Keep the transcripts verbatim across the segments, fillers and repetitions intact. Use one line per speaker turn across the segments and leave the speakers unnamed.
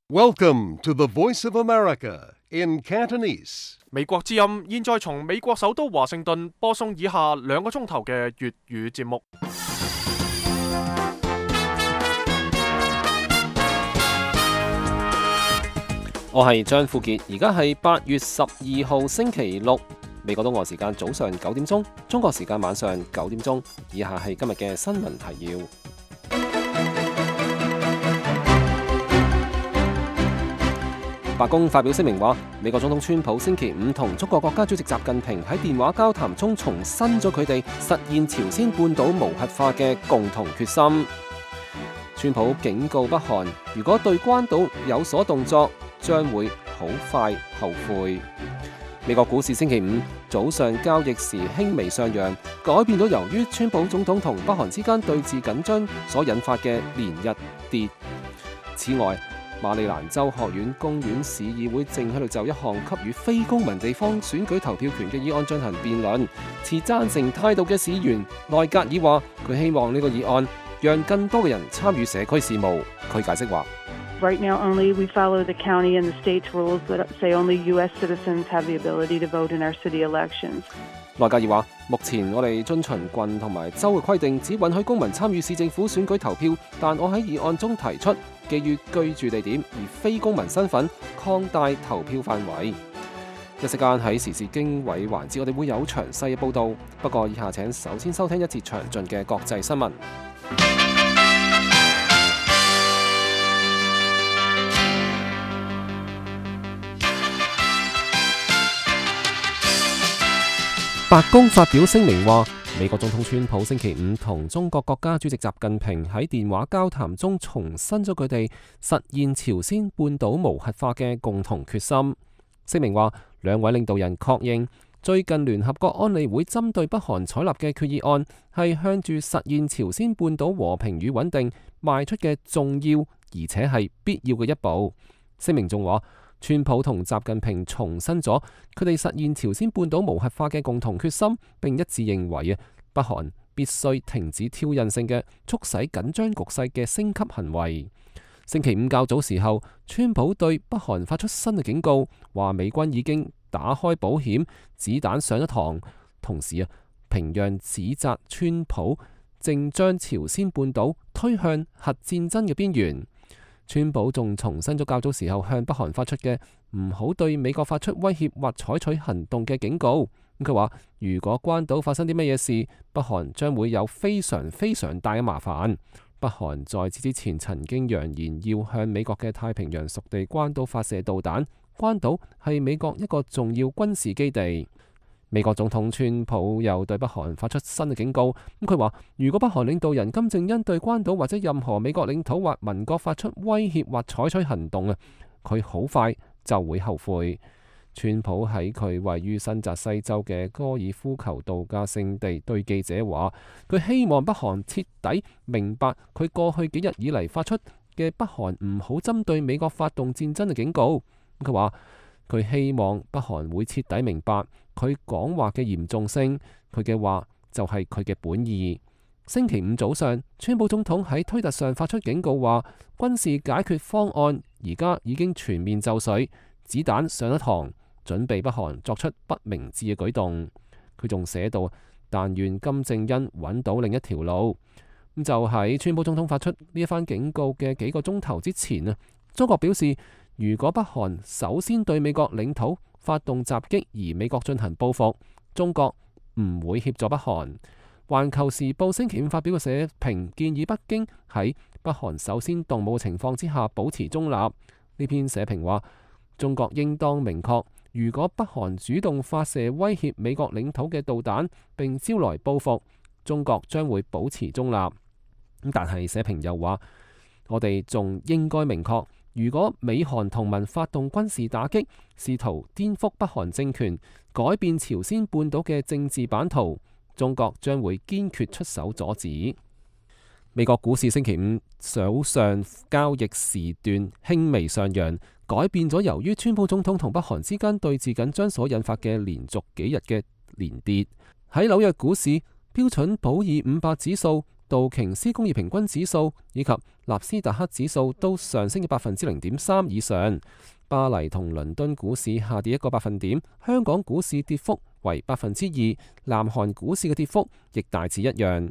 Welcome to the Voice of America in Cantonese.
美國之音現在從美國首都華盛頓播送以下兩個鐘頭嘅粵語節目。
我係張富傑，而家係八月十二號星期六，美國東岸時間早上九點鐘，中國時間晚上九點鐘。以下係今日嘅新聞提要。白宮發表聲明話，美國總統川普星期五同中國國家主席習近平喺電話交談中重申咗佢哋實現朝鮮半島無核化嘅共同決心。川普警告北韓，如果對關島有所動作，將會好快後悔。美國股市星期五早上交易時輕微上揚，改變咗由於川普總統同北韓之間對峙緊張所引發嘅連日跌。此外，馬里蘭州學院公園市議會正喺度就一項給予非公民地方選舉投票權嘅議案進行辯論。持贊成態度嘅市議員內格爾話，佢希望呢個議案讓更多嘅人參與社區事務。佢解釋話
：Right now, only we follow the county and the state's rules that say only U S citizens have the ability to vote in our city elections.
內格爾話：目前我哋遵循郡同埋州嘅規定，只允許公民參與市政府選舉投票。但我喺議案中提出，基於居住地點而非公民身份，擴大投票範圍。一時間喺時事經緯環節，我哋會有詳細嘅報導。不過以下請首先收聽一節詳盡嘅國際新聞。白宮發表聲明話，美國總統川普星期五同中國國家主席習近平喺電話交談中重申咗佢哋實現朝鮮半島無核化嘅共同決心。聲明話，兩位領導人確認最近聯合國安理會針對北韓採納嘅決議案係向住實現朝鮮半島和平與穩定邁出嘅重要而且係必要嘅一步。聲明仲話，川普同習近平重申咗佢哋實現朝鮮半島無核化嘅共同決心，並一致認為啊，北韓必須停止挑釁性嘅促使緊張局勢嘅升級行為。星期五較早時候，川普對北韓發出新嘅警告，話美軍已經打開保險，子彈上咗膛。同時啊，平壤指責川普正將朝鮮半島推向核戰爭嘅邊緣。川普仲重申咗較早時候向北韓發出嘅唔好對美國發出威脅或採取行動嘅警告。佢話如果關島發生啲乜嘢事，北韓將會有非常非常大嘅麻煩。北韓在此之前曾經揚言要向美國嘅太平洋屬地關島發射導彈，關島係美國一個重要軍事基地。美國總統川普又對北韓發出新嘅警告，咁佢話如果北韓領導人金正恩對關島或者任何美國領土或民國發出威脅或採取行動啊，佢好快就會後悔。川普喺佢位於新澤西州嘅高爾夫球度假勝地對記者話，佢希望北韓徹底明白佢過去幾日以嚟發出嘅北韓唔好針對美國發動戰爭嘅警告。佢話佢希望北韓會徹底明白佢講話嘅嚴重性，佢嘅話就係佢嘅本意。星期五早上，川普總統喺推特上發出警告話，軍事解決方案而家已經全面就緒，子彈上咗膛，準備北韓作出不明智嘅舉動。佢仲寫到，但願金正恩揾到另一條路。咁就喺川普總統發出呢一番警告嘅幾個鐘頭之前啊，中國表示，如果北韓首先對美國領土發動襲擊，而美國進行報復，中國唔會協助北韓。環球時報星期五發表嘅社評建議北京喺北韓首先動武嘅情況之下保持中立。呢篇社評話，中國應當明確，如果北韓主動發射威脅美國領土嘅導彈並招來報復，中國將會保持中立。但係社評又話，我哋仲應該明確，如果美韓同盟發動軍事打擊，試圖顛覆北韓政權，改變朝鮮半島嘅政治版圖，中國將會堅決出手阻止。美國股市星期五早上交易時段輕微上揚，改變咗由於川普總統同北韓之間對峙緊張所引發嘅連續幾日嘅連跌。喺紐約股市，標準普爾五百指數道瓊斯工業平均指數以及納斯達克指數都上升嘅百分之零點三以上。巴黎同倫敦股市下跌一個百分點，香港股市跌幅為百分之二，南韓股市嘅跌幅亦大致一樣。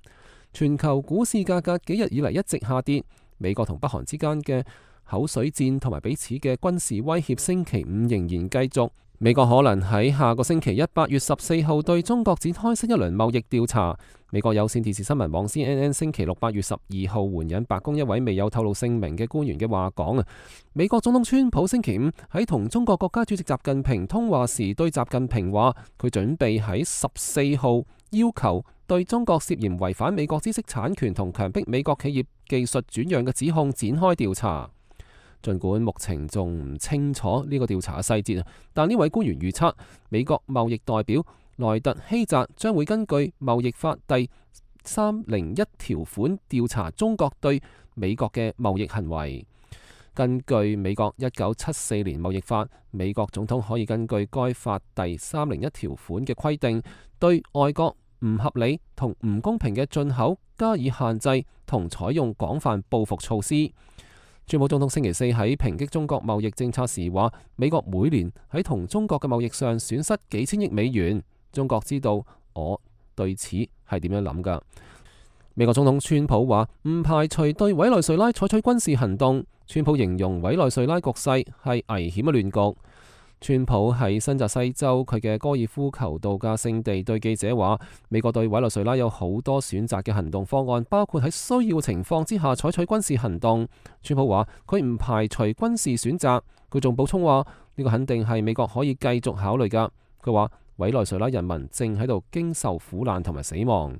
全球股市價格幾日以嚟一直下跌，美國同北韓之間嘅口水戰同埋彼此嘅軍事威脅，星期五仍然繼續。美國可能喺下個星期一八月十四號對中國展開新一輪貿易調查。美國有線電視新聞網 C N N 星期六八月十二號援引白宮一位未有透露姓名嘅官員嘅話講啊，美國總統川普星期五喺同中國國家主席習近平通話時，對習近平話佢準備喺十四號要求對中國涉嫌違反美國知識產權同強迫美國企業技術轉讓嘅指控展開調查。儘管目前仲唔清楚呢個調查嘅細節，但呢位官員預測美國貿易代表萊特希澤將會根據貿易法第三零一條款調查中國對美國嘅貿易行為。根據美國一九七四年貿易法，美國總統可以根據該法第三零一條款嘅規定，對外國唔合理同唔公平嘅進口加以限制同採用廣泛報復措施。川普總統星期四喺抨擊中國貿易政策時話，美國每年喺同中國嘅貿易上損失幾千億美元。中國知道我對此係點樣諗㗎。美國總統川普話唔排除對委內瑞拉採取軍事行動。川普形容委內瑞拉局勢係危險嘅亂局。川普喺新澤西州佢嘅高爾夫球度假勝地對記者話，美國對委內瑞拉有好多選擇嘅行動方案，包括喺需要情況之下採取軍事行動。川普話佢唔排除軍事選擇，佢仲補充話呢個肯定係美國可以繼續考慮㗎。佢話委內瑞拉人民正喺度經受苦難同埋死亡。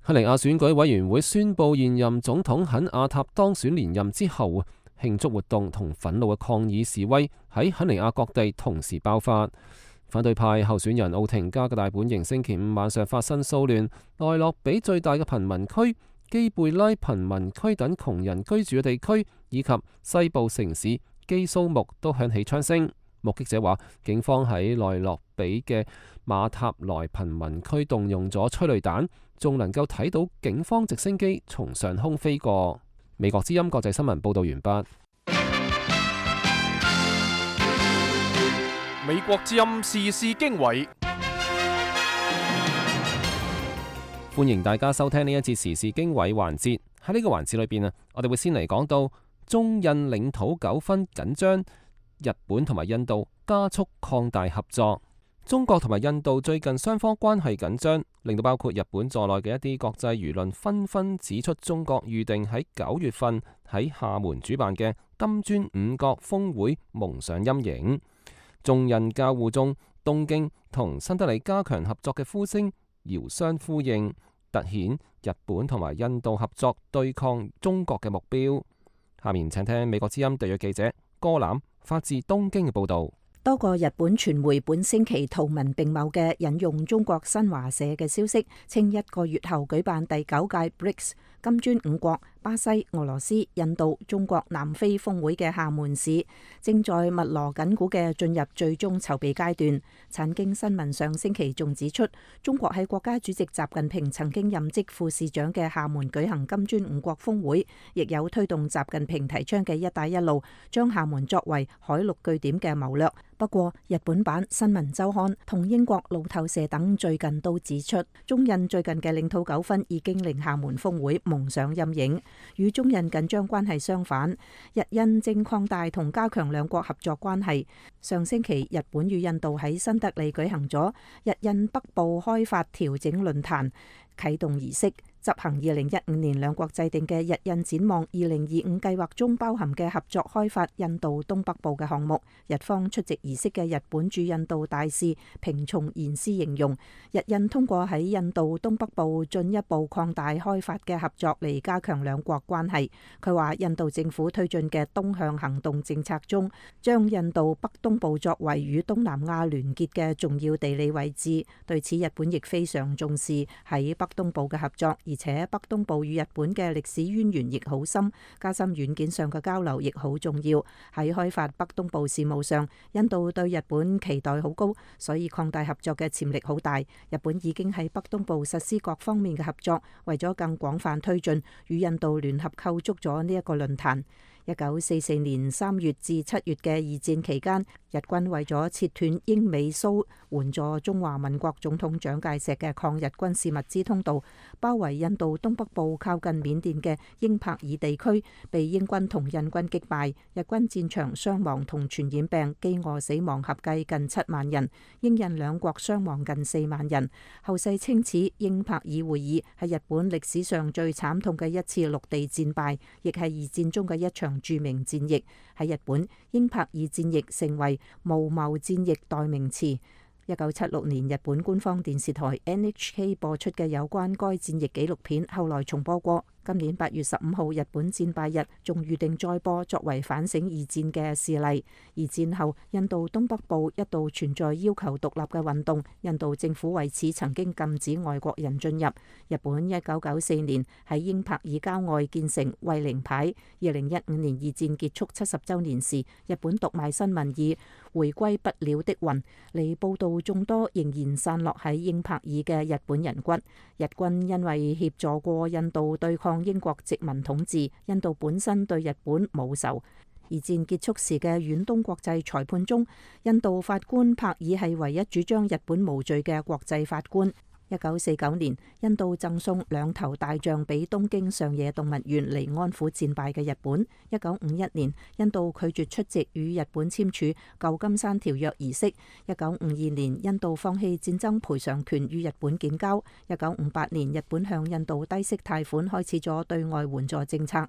肯尼亞選舉委員會宣布現任總統肯亞塔當選連任之後，慶祝活動同憤怒嘅抗議示威喺肯尼亞各地同時爆發。反對派候選人奧廷加嘅大本營星期五晚上發生騷亂，內洛比最大嘅貧民區、基貝拉貧民區等窮人居住嘅地區，以及西部城市基蘇木都響起槍聲。目擊者話，警方喺內洛比嘅馬塔萊貧民區動用咗催淚彈，仲能夠睇到警方直升機從上空飛過。美國之音國際新聞報道完畢。
美國之音時事經緯，
歡迎大家收聽呢一節時事經緯環節。喺呢個環節裏邊啊，我哋會先嚟講到中印領土糾紛緊張，日本同埋印度加速擴大合作。中國同埋印度最近雙方關係緊張，令到包括日本在內嘅一啲國際輿論紛紛指出，中國預定喺九月份喺廈門主辦嘅金磚五國峰會蒙上陰影。中印交互中，東京同新德里加強合作嘅呼聲遙相呼應，凸顯日本同埋印度合作對抗中國嘅目標。下面請聽美國之音特約記者歌欖發自東京嘅報道。
多個日本傳媒本星期圖文並茂嘅引用中國新華社嘅消息，稱一個月後舉辦第九屆 B R I C S 金磚五國巴西、俄羅斯、印度、中國、南非峰會嘅廈門市正在密鑼緊鼓嘅進入最終籌備階段。產經新聞上星期仲指出，中國喺國家主席習近平曾經任職副市長嘅廈門舉行金磚五國峰會，亦有推動習近平提倡嘅一帶一路，將廈門作為海陸據點嘅謀略。不過，日本版新聞週刊同英國路透社等最近都指出，中印最近嘅領土糾紛已經令廈門峰會蒙上陰影。與中印緊張關係相反，日印正擴大同加強兩國合作關係。上星期，日本與印度喺新德里舉行咗日印北部開發調整論壇啟動儀式。執行二零一五年兩國制定嘅日印展望二零二五計劃中包含嘅合作開發印度東北部嘅項目，日方出席儀式嘅日本駐印度大使平松賢司形容，日印通過喺印度東北部進一步擴大開發嘅合作嚟加強兩國關係。佢話印度政府推進嘅東向行動政策中，將印度北東部作為與東南亞聯結嘅重要地理位置，對此日本亦非常重視喺北東部嘅合作。而且北東部與日本嘅歷史淵源亦好深，加深軟件上嘅交流亦好重要。喺開發北東部事務上，印度對日本期待好高，所以擴大合作嘅潛力好大。日本已經喺北東部實施各方面嘅合作，為咗更廣泛推進，與印度聯合構築咗呢一個論壇。一九四四年三月至七月嘅二戰期間，日軍為咗切斷英美蘇援助中華民國總統蔣介石嘅抗日軍事物資通道，包圍印度東北部靠近緬甸嘅英帕爾地區，被英軍同印軍擊敗。日軍戰場傷亡同傳染病、饑餓死亡合計近七萬人，英印兩國傷亡近四萬人。後世稱此英帕爾會議係日本歷史上最慘痛嘅一次陸地戰敗，亦係二戰中嘅一場著名戰役。喺日本，英帕爾戰役成為無謀戰役代名詞。一九七六年，日本官方電視台 N H K 播出嘅有關該戰役紀錄片，後來重播過。今年八月十五號日本戰敗日，仲預定再播，作為反省二戰嘅事例。而戰後，印度東北部一度存在要求獨立嘅運動，印度政府為此曾經禁止外國人進入。日本一九九四年喺英帕爾郊外建成慰靈牌。二零一五年二戰結束七十週年時，日本讀賣新聞以回歸不了的魂嚟報導眾多仍然散落喺英帕爾嘅日本人骨。日軍因為協助過印度對抗英國殖民統治，印度本身對日本冇仇。二戰結束時嘅遠東國際裁判中，印度法官帕爾係唯一主張日本無罪嘅國際法官。一九四九年，印度贈送兩頭大象俾東京上野動物園嚟安撫戰敗嘅日本。一九五一年，印度拒絕出席與日本簽署舊金山條約儀式。一九五二年，印度放棄戰爭賠償權與日本建交。一九五八年，日本向印度低息貸款，開始咗對外援助政策。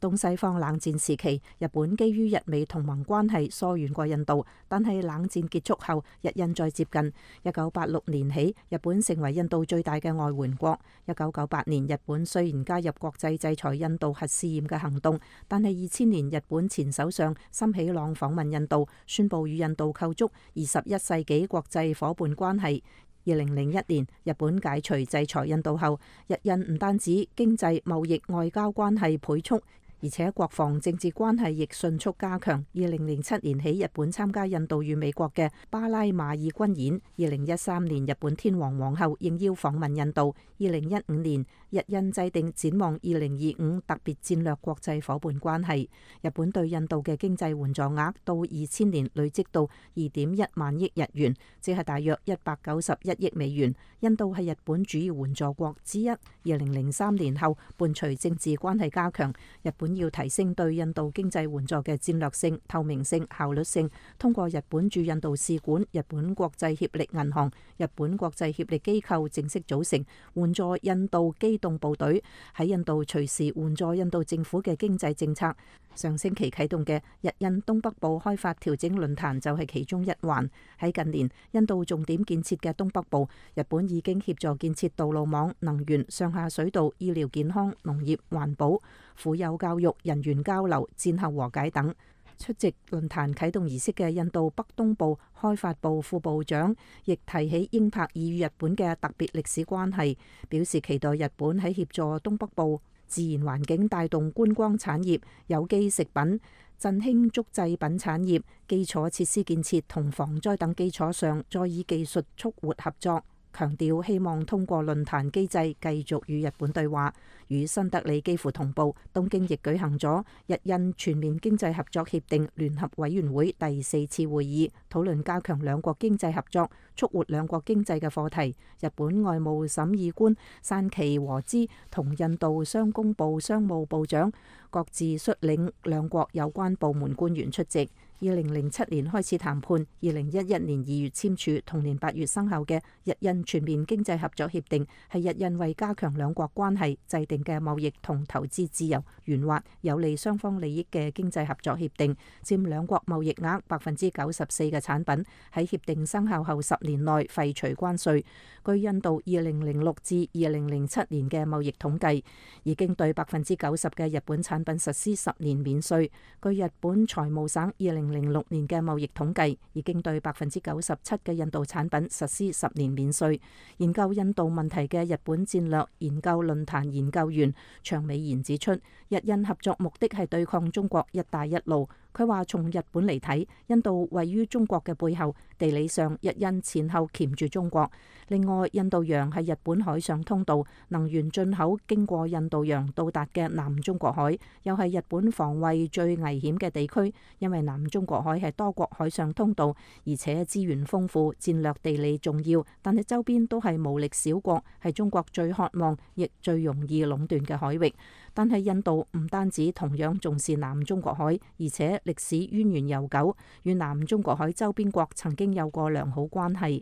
東西方冷戰時期，日本基於日美同盟關係疏遠過印度，但係冷戰結束後，日印再接近。一九八六年起，日本成為印度最大嘅外援國。一九九八年，日本雖然加入國際制裁印度核試驗嘅行動，但係二千年日本前首相森喜朗訪問印度，宣布與印度構築二十一世紀國際夥伴關係。二零零一年，日本解除制裁印度後，日印唔單止經濟、貿易、外交關係倍速，而且國防政治關係亦迅速加強。二零零七年起，日本參加印度與美國嘅巴拉馬爾軍演。二零一三年，日本天皇皇后應邀訪問印度。二零一五年，日印制定展望二零二五特別戰略國際夥伴關係。日本對印度嘅經濟援助額到二千年累積到二點一萬億日元，即係大約一百九十一億美元。印度係日本主要援助國之一。二零零三年後，伴隨政治關係加強，日本要提升對印度經濟援助嘅戰略性、透明性、效率性，通過日本駐印度使館、日本國際協力銀行、日本國際協力機構正式組成援助印度機動部隊，喺印度隨時援助印度政府嘅經濟政策。上星期啟動嘅日印東北部開發調整論壇就係其中一環。喺近年印度重點建設嘅東北部，日本已經協助建設道路網、能源、上下水道、醫療健康、農業、環保、婦幼教育、人員交流、戰後和解等。出席論壇啟動儀式嘅印度北東部開發部副部長亦提起英帕爾與日本嘅特別歷史關係，表示期待日本喺協助東北部自然環境帶動觀光產業、有機食品、振興竹製品產業、基礎設施建設同防災等基礎上，再以技術促活合作。強調希望通過論壇機制繼續與日本對話。與新德里幾乎同步，東京亦舉行咗日印全面經濟合作協定聯合委員會第四次會議，討論加強兩國經濟合作、促活兩國經濟嘅課題。日本外務審議官山崎和之同印度商工部商務部長各自率領兩國有關部門官員出席。二零零七年開始談判，二零一一年二月簽署，同年八月生效嘅日印全面經濟合作協定，係日印為加強兩國關係制定嘅貿易同投資自由、圓滑、有利雙方利益嘅經濟合作協定，佔兩國貿易額百分之九十四嘅產品喺協定生效後十年內廢除關稅。據印度二零零六至二零零七年嘅貿易統計，已經對百分之九十嘅日本產品實施十年免稅。據日本財務省二零零零六年嘅貿易統計，已經對百分之九十七嘅印度產品實施十年免稅。研究印度問題嘅日本戰略研究論壇研究員長美賢指出，日印合作目的係對抗中國一帶一路。佢話從日本嚟睇，印度位於中國嘅背後，地理上日印前後鉗住中國。另外，印度洋係日本海上通道，能源進口經過印度洋到達嘅南中國海，又係日本防衛最危險嘅地區，因為南中國海係多國海上通道，而且資源豐富，戰略地理重要，但係周邊都係無力小國，係中國最渴望亦最容易壟斷嘅海域。但係印度唔單止同樣重視南中國海，而且歷史淵源悠久，與南中國海周邊國曾經有過良好關係。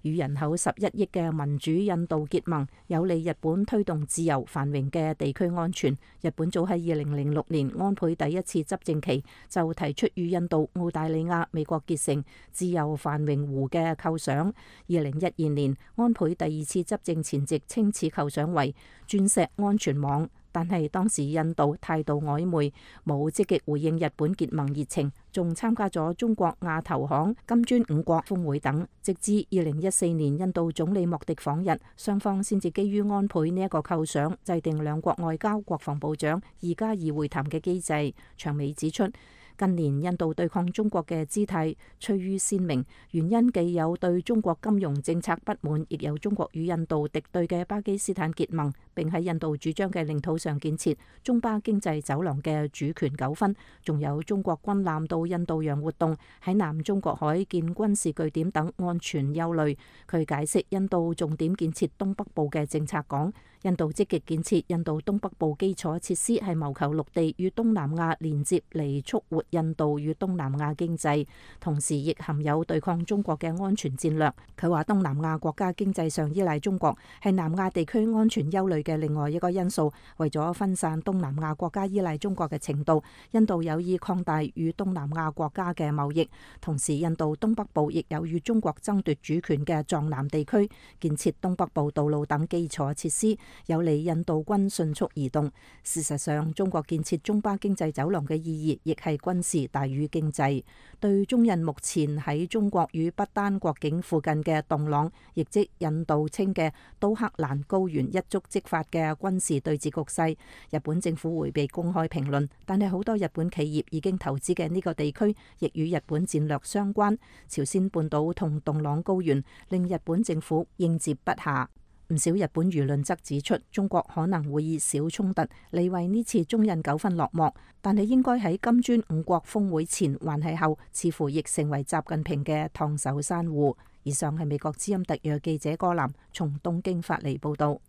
與人口十一億嘅民主印度結盟，有利日本推動自由繁榮嘅地區安全。日本早喺二零零六年安倍第一次執政期就提出與印度、澳大利亞、美國結成自由繁榮湖嘅構想。二零一二年安倍第二次執政前夕稱此構想為鑽石安全網。但係當時印度態度曖昧，冇積極回應日本結盟熱情，仲參加咗中國亞投行、金磚五國峰會等。直至二零一四年印度總理莫迪訪日，雙方先至基於安倍呢一個構想，制定兩國外交、國防部長二加二會談嘅機制。長美指出，近年印度對抗中國嘅姿態趨於鮮明，原因既有對中國金融政策不滿，亦有中國與印度敵對嘅巴基斯坦結盟，並喺印度主張嘅領土上建設中巴經濟走廊嘅主權糾紛，仲有中國軍艦到印度洋活動，喺南中國海建軍事據點等安全憂慮。佢解釋印度重點建設東北部嘅政策講，印度積極建設印度東北部基礎設施係謀求陸地與東南亞連接嚟促活印度與東南亞經濟，同時亦含有對抗中國嘅安全戰略。佢話東南亞國家經濟上依賴中國，係南亞地區安全憂慮嘅另外一個因素。為咗分散東南亞國家依賴中國嘅程度，印度有意擴大與東南亞國家嘅貿易，同時印度東北部亦有與中國爭奪主權嘅藏南地區，建設東北部道路等基礎設施，有利印度軍迅速移動。事實上，中國建設中巴經濟走廊嘅意義亦係軍事大於經濟。對中印目前喺中國與不丹國境附近嘅洞朗，亦即印度稱嘅都克蘭高原一觸即發嘅軍事對峙局勢，日本政府迴避公開評論，但係好多日本企業已經投資嘅呢個地區，亦與日本戰略相關。朝鮮半島同洞朗高原令日本政府應接不暇。唔少日本輿論則指出，中國可能會以小衝突嚟為呢次中印糾紛落幕，但係應該喺金磚五國峰會前還係後，似乎亦成為習近平嘅燙手山芋。以上係美國之音特約記者柯南從東京發嚟報道。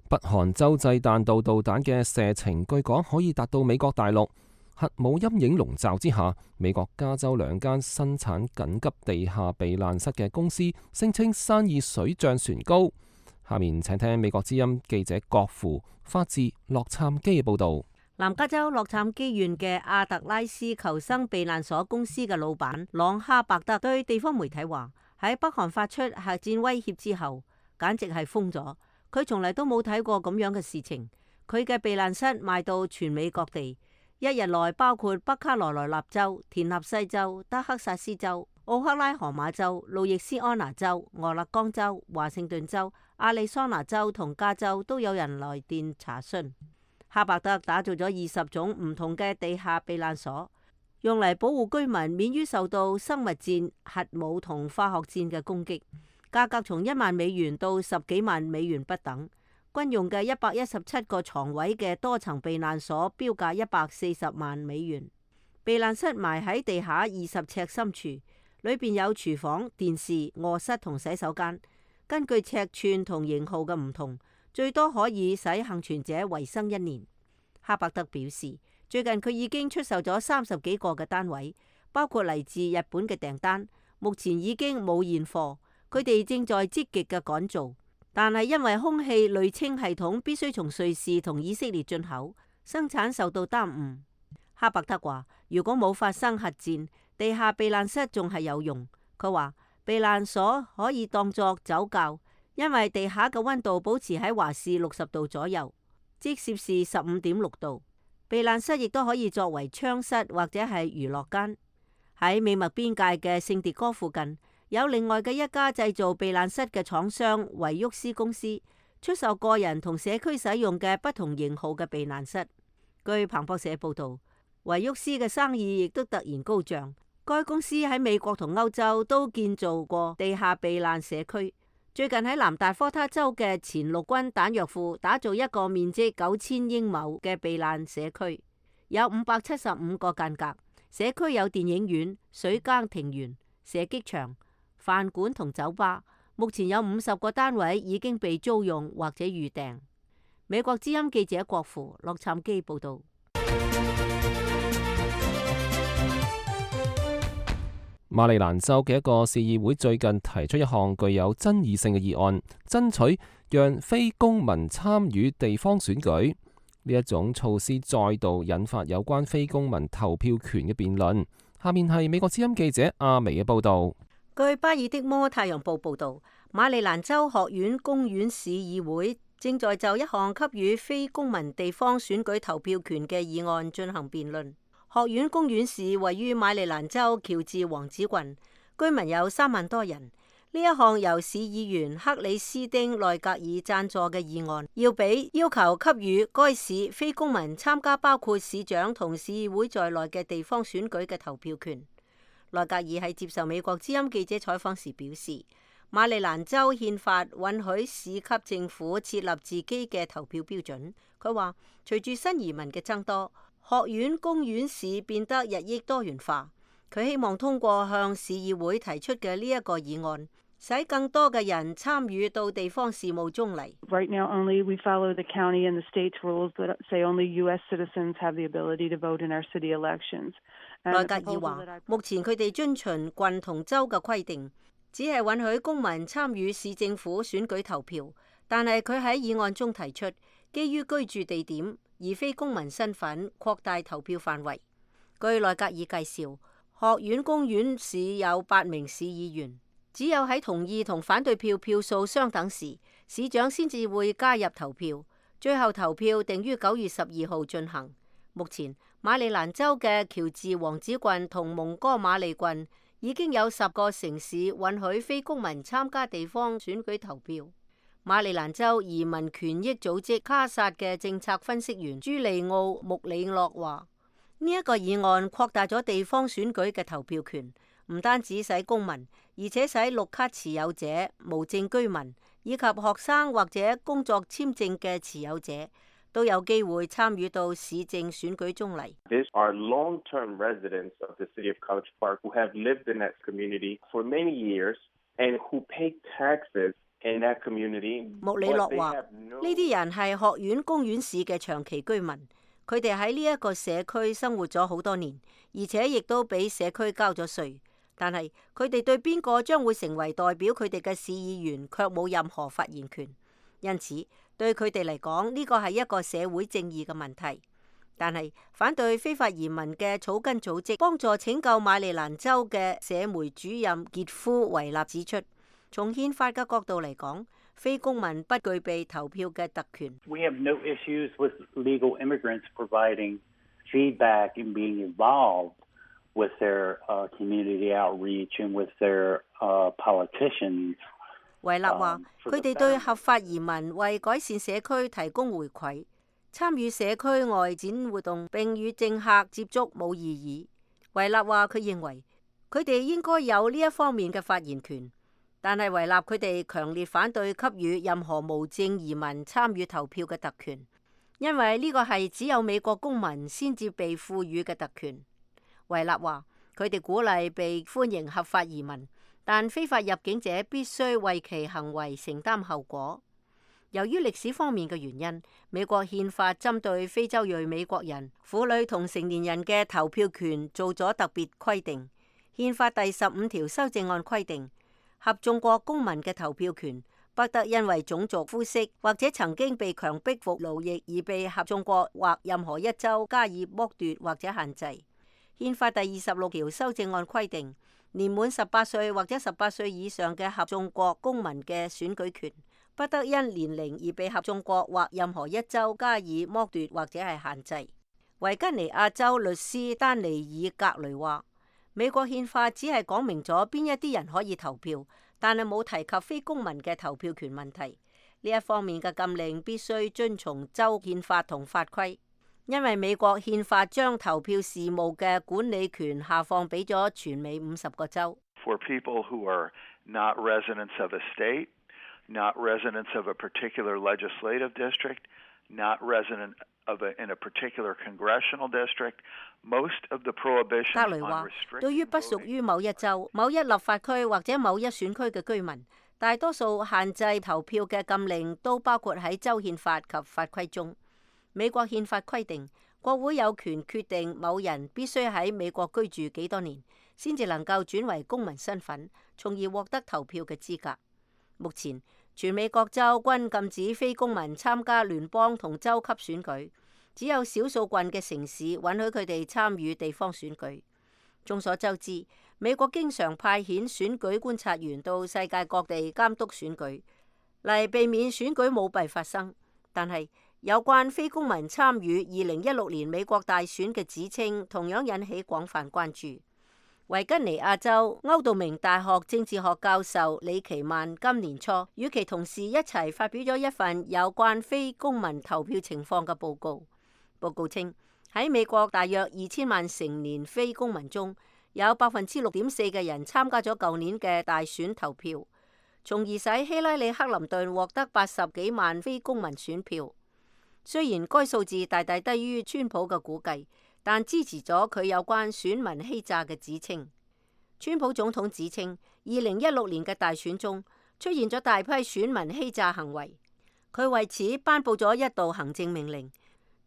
北韓洲際彈道導彈嘅射程據講可以達到美國大陸。核武陰影籠罩之下，美國加州兩間生產緊急地下避難室嘅公司聲稱生意水漲船高。下面請聽美國之音記者郭芙發自洛杉磯嘅報導。
南加州洛杉磯縣嘅阿特拉斯求生避難所公司嘅老闆朗哈伯德對地方媒體話：喺北韓發出核戰威脅之後，簡直係瘋咗。佢從嚟都冇睇過咁樣嘅事情。佢嘅避難室賣到全美各地。一日內包括北卡羅來納州、田納西州、德克薩斯州、奧克拉荷馬州、路易斯安那州、俄勒岡州、華盛頓州、亞利桑那州同加州都有人來電查詢。哈伯德打造咗二十種唔同嘅地下避難所，用嚟保護居民免於受到生物戰、核武同化學戰嘅攻擊。價格從一萬美元到十幾萬美元不等。軍用嘅一百一十七個床位嘅多層避難所標價一百四十萬美元。避難室埋喺地下二十尺深處，裏邊有廚房、電視、臥室同洗手間。根據尺寸同型號嘅唔同，最多可以使幸存者維生一年。哈伯德表示，最近佢已經出售咗三十幾個嘅單位，包括嚟自日本嘅訂單，目前已經冇現貨。佢哋正在積極嘅趕造。但係因為空氣濾清系統必須從瑞士同以色列進口，生產受到耽誤。哈伯德話：如果冇發生核戰，地下避難室仲係有用。佢話避難所可以當作酒窖，因為地下嘅溫度保持喺華氏六十度左右。即攝氏十五點六度。避難室亦都可以作為槍室或者係娛樂間。喺美墨邊界嘅聖迭戈附近，有另外嘅一家製造避難室嘅廠商維沃斯公司，出售個人同社區使用嘅不同型號嘅避難室。據彭博社報道，維沃斯嘅生意亦都突然高漲。該公司喺美國同歐洲都建造過地下避難社區。最近喺南達科他州嘅前陸軍彈藥庫打造一個面積九千英畝嘅避難社區，有五百七十五個間隔。社區有電影院、水耕庭園、射擊場、飯館同酒吧。目前有五十個單位已經被租用或者預訂。美國之音記者郭芙洛杉磯報道。
馬里蘭州嘅一個市議會最近提出一項具有爭議性嘅議案，爭取讓非公民參與地方選舉。呢一種措施再度引發有關非公民投票權嘅辯論。下面係美國之音記者阿薇嘅報道。
據巴爾的摩太陽報報道，馬里蘭州學院公園市議會正在就一項給予非公民地方選舉投票權嘅議案進行辯論。學院公園市位於馬里蘭州喬治王子郡，居民有三萬多人。呢一項由市議員克里斯丁內格爾贊助嘅議案，要俾要求給予該市非公民參加包括市長同市議會在內嘅地方選舉嘅投票權。內格爾喺接受美國之音記者採訪時表示，馬里蘭州憲法允許市級政府設立自己嘅投票標準。佢話，隨住新移民嘅增多，學院公園市變得日益多元化。佢希望通過向市議會提出嘅呢一個議案，使更多嘅人參與到地方事務中嚟。
Right now, only we follow the county and the state's rules that say only U S citizens have the ability to vote in our city elections.
內格爾話，目前佢哋遵循郡同州嘅規定，只係允許公民參與市政府選舉投票。但係佢喺議案中提出，基於居住地點而非公民身份擴大投票範圍。據內格爾介紹，學院公園市有八名市議員，只有喺同意同反對票票數相等時，市長先至會加入投票。最後投票定於九月十二號進行。目前馬里蘭州嘅喬治王子郡同蒙哥馬利郡已經有十個城市允許非公民參加地方選舉投票。馬里蘭州移民權益組織卡薩嘅政策分析員朱利奧穆里諾話：呢一個議案擴大咗地方選舉嘅投票權，唔單止使公民，而且使綠卡持有者、無證居民以及學生或者工作簽證嘅持有者都有機會參與到市政選舉中嚟。
These are long-term residents of the city of College Park who have lived in that community for many years and who pay taxes in that community.
穆里諾話：呢啲人係學院公園市嘅長期居民，佢哋喺呢一個社區生活咗好多年，而且亦都俾社區交咗稅。但係佢哋對邊個將會成為代表佢哋嘅市議員卻冇任何發言權，因此對佢哋嚟講呢個係一個社會正義嘅問題。但係反對非法移民嘅草根組織幫助拯救馬里蘭州嘅社媒主任傑夫維納指出，從憲法嘅角度嚟講，非公民不具備投票嘅特權。
We have no issues with legal immigrants providing feedback and being involved with their uh, community outreach and with their uh, politicians.
維納話：佢哋對合法移民為改善社區提供回饋，參與社區外展活動並與政客接觸冇異議。維納話：佢認為佢哋應該有呢一方面嘅發言權。但係維納佢哋強烈反對給予任何無證移民參與投票嘅特權，因為呢個係只有美國公民先至被賦予嘅特權。維納話：佢哋鼓勵被歡迎合法移民，但非法入境者必須為其行為承擔後果。由於歷史方面嘅原因，美國憲法針對非洲裔美國人、婦女同成年人嘅投票權做咗特別規定。憲法第十五條修正案規定，合眾國公民嘅投票權不得因為種族、膚色或者曾經被強迫服勞役而被合眾國或任何一州加以剝奪或者限制。憲法第二十六條修正案規定，年滿十八歲或者十八歲以上嘅合眾國公民嘅選舉權不得因年齡而被合眾國或任何一州加以剝奪或者係限制。維吉尼亞州律師丹尼爾格雷話：美國憲法只係講明咗邊一啲人可以投票，但係冇提及非公民嘅投票權問題。呢一方面嘅禁令必須遵從州憲法同法規，因為美國憲法將投票事務嘅管理權下放俾咗全美五十個州。
For people who are not residents of a state, not residents of a particular legislative district, not resident of a, in a particular congressional district, most of the prohibitions on restricting voting. 格雷話，對於不屬於某一州、某一立法區或者某一選區嘅居民，大多數限制投票嘅禁令都包括喺州憲法及法規中。美國憲法規定，國會有權決定某人必須喺美國居住幾多年，先至能夠轉為公民身份，從而獲得投票嘅資格。目前，全美各州均禁止非公民參加聯邦同州級選舉，只有少數郡嘅城市允許佢哋參與地方選舉。眾所周知，美國經常派遣選舉觀察員到世界各地監督選舉，嚟避免選舉舞弊發生。但係有關非公民參與二零一六年美國大選嘅指稱，同樣引起廣泛關注。維吉尼亞州歐道明大學政治學教授李奇曼今年初與其同事一齊發表咗一份有關非公民投票情況嘅報告。報告稱，喺美國大約二千萬成年非公民中，有百分之六點四嘅人參加咗舊年嘅大選投票，從而使希拉里克林頓獲得八十幾萬非公民選票。雖然該數字大大低於川普嘅估計，但支持咗佢有關選民欺詐嘅指稱。川普總統指稱，二零一六年嘅大選中出現咗大批選民欺詐行為，佢為此頒布咗一道行政命令，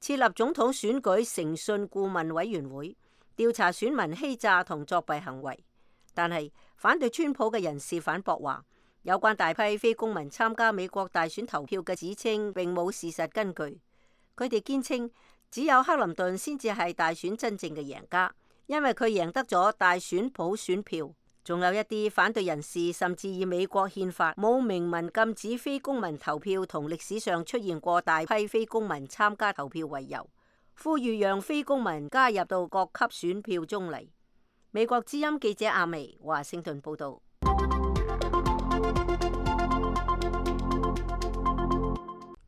設立總統選舉誠信顧問委員會，調查選民欺詐同作弊行為。但係反對川普嘅人士反駁話，有關大批非公民參加美國大選投票嘅指稱並冇事實根據。佢哋堅稱，只有克林頓先至係大選真正嘅贏家，因為佢贏得咗大選普選票。仲有一啲反對人士甚至以美國憲法冇明文禁止非公民投票同歷史上出現過大批非公民參加投票為由，呼籲讓非公民加入到各級選票中嚟。美國之音記者阿薇華盛頓報道。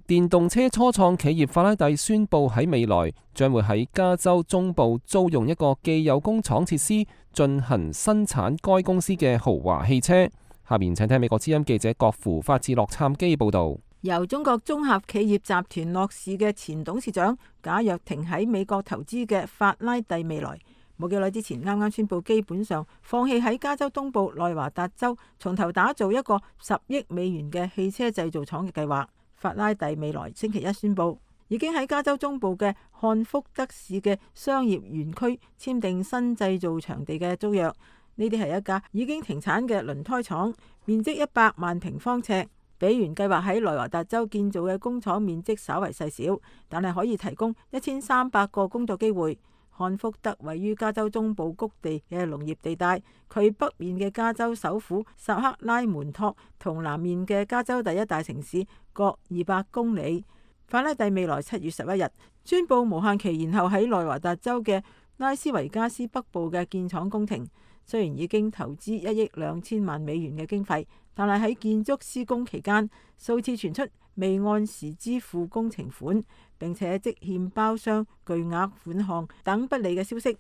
電動車初創企業法拉第宣布喺未來將會喺加州中部租用一個既有工廠設施進行生產該公司嘅豪華汽車。下面請聽美國之音記者郭芙發自洛杉磯報道。
由中國綜合企業集團樂視嘅前董事長賈躍亭喺美國投資嘅法拉第未來，冇幾耐之前啱啱宣布基本上放棄喺加州東部內華達州從頭打造一個十億美元嘅汽車製造廠嘅計劃。法拉第未來星期一宣布，已經喺加州中部嘅漢福德市嘅商業園區簽訂新製造場地嘅租約。呢啲係一家已經停產嘅輪胎廠，面積一百萬平方尺，比原計劃喺內華達州建造嘅工廠面積稍為細小，但係可以提供一千三百個工作機會。漢福德位於加州中部谷地嘅農業地帶，佢北面嘅加州首府薩克拉門托同南面嘅加州第一大城市各二百公里。法拉第未來七月十一日宣布無限期延後喺內華達州嘅拉斯維加斯北部嘅建廠工程。雖然已經投資一億兩千萬美元嘅經費，但係喺建築施工期間，數次傳出未按時支付工程款，並且積欠包商巨額款項等不利嘅消息。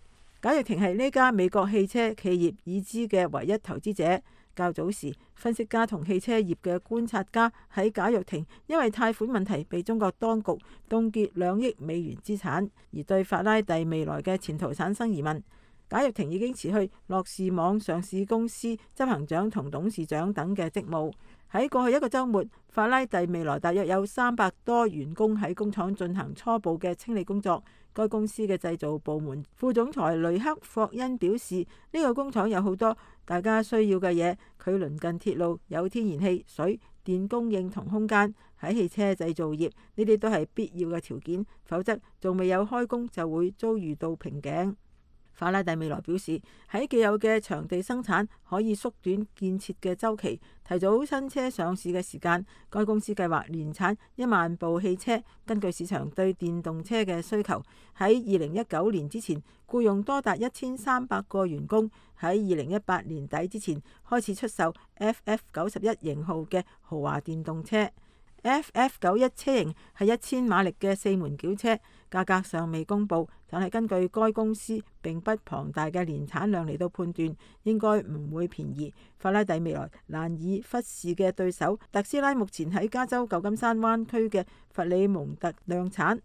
賈躍亭係呢家美國汽車企業已知嘅唯一投資者。較早時，分析家同汽車業嘅觀察家喺賈躍亭因為貸款問題被中國當局凍結兩億美元資產，而對法拉第未來嘅前途產生疑問。賈躍亭已經辭去樂視網上市公司執行長同董事長等嘅職務。喺過去一個週末，法拉第未來大約有三百多員工喺工廠進行初步嘅清理工作。該公司嘅製造部門副總裁雷克霍恩表示，呢個工廠有好多大家需要嘅嘢，佢鄰近鐵路，有天然氣、水電供應同空間。喺汽車製造業，呢啲都係必要嘅條件，否則仲未有開工就會遭遇到瓶頸。法拉第未來表示，喺既有嘅場地生產可以縮短建設嘅週期，提早新車上市嘅時間。該公司計劃年產一萬部汽車。根據市場對電動車嘅需求，喺二零一九年之前僱用多達一千三百個員工，喺二零一八年底之前開始出售 F F 九十一型號嘅豪華電動車。F F 九十一車型係一千馬力嘅四門轎車，價格尚未公布，但係根據該公司並不龐大嘅年產量嚟到判斷，應該唔會便宜。法拉第未來難以忽視嘅對手特斯拉，目前喺加州舊金山灣區嘅弗里蒙特量產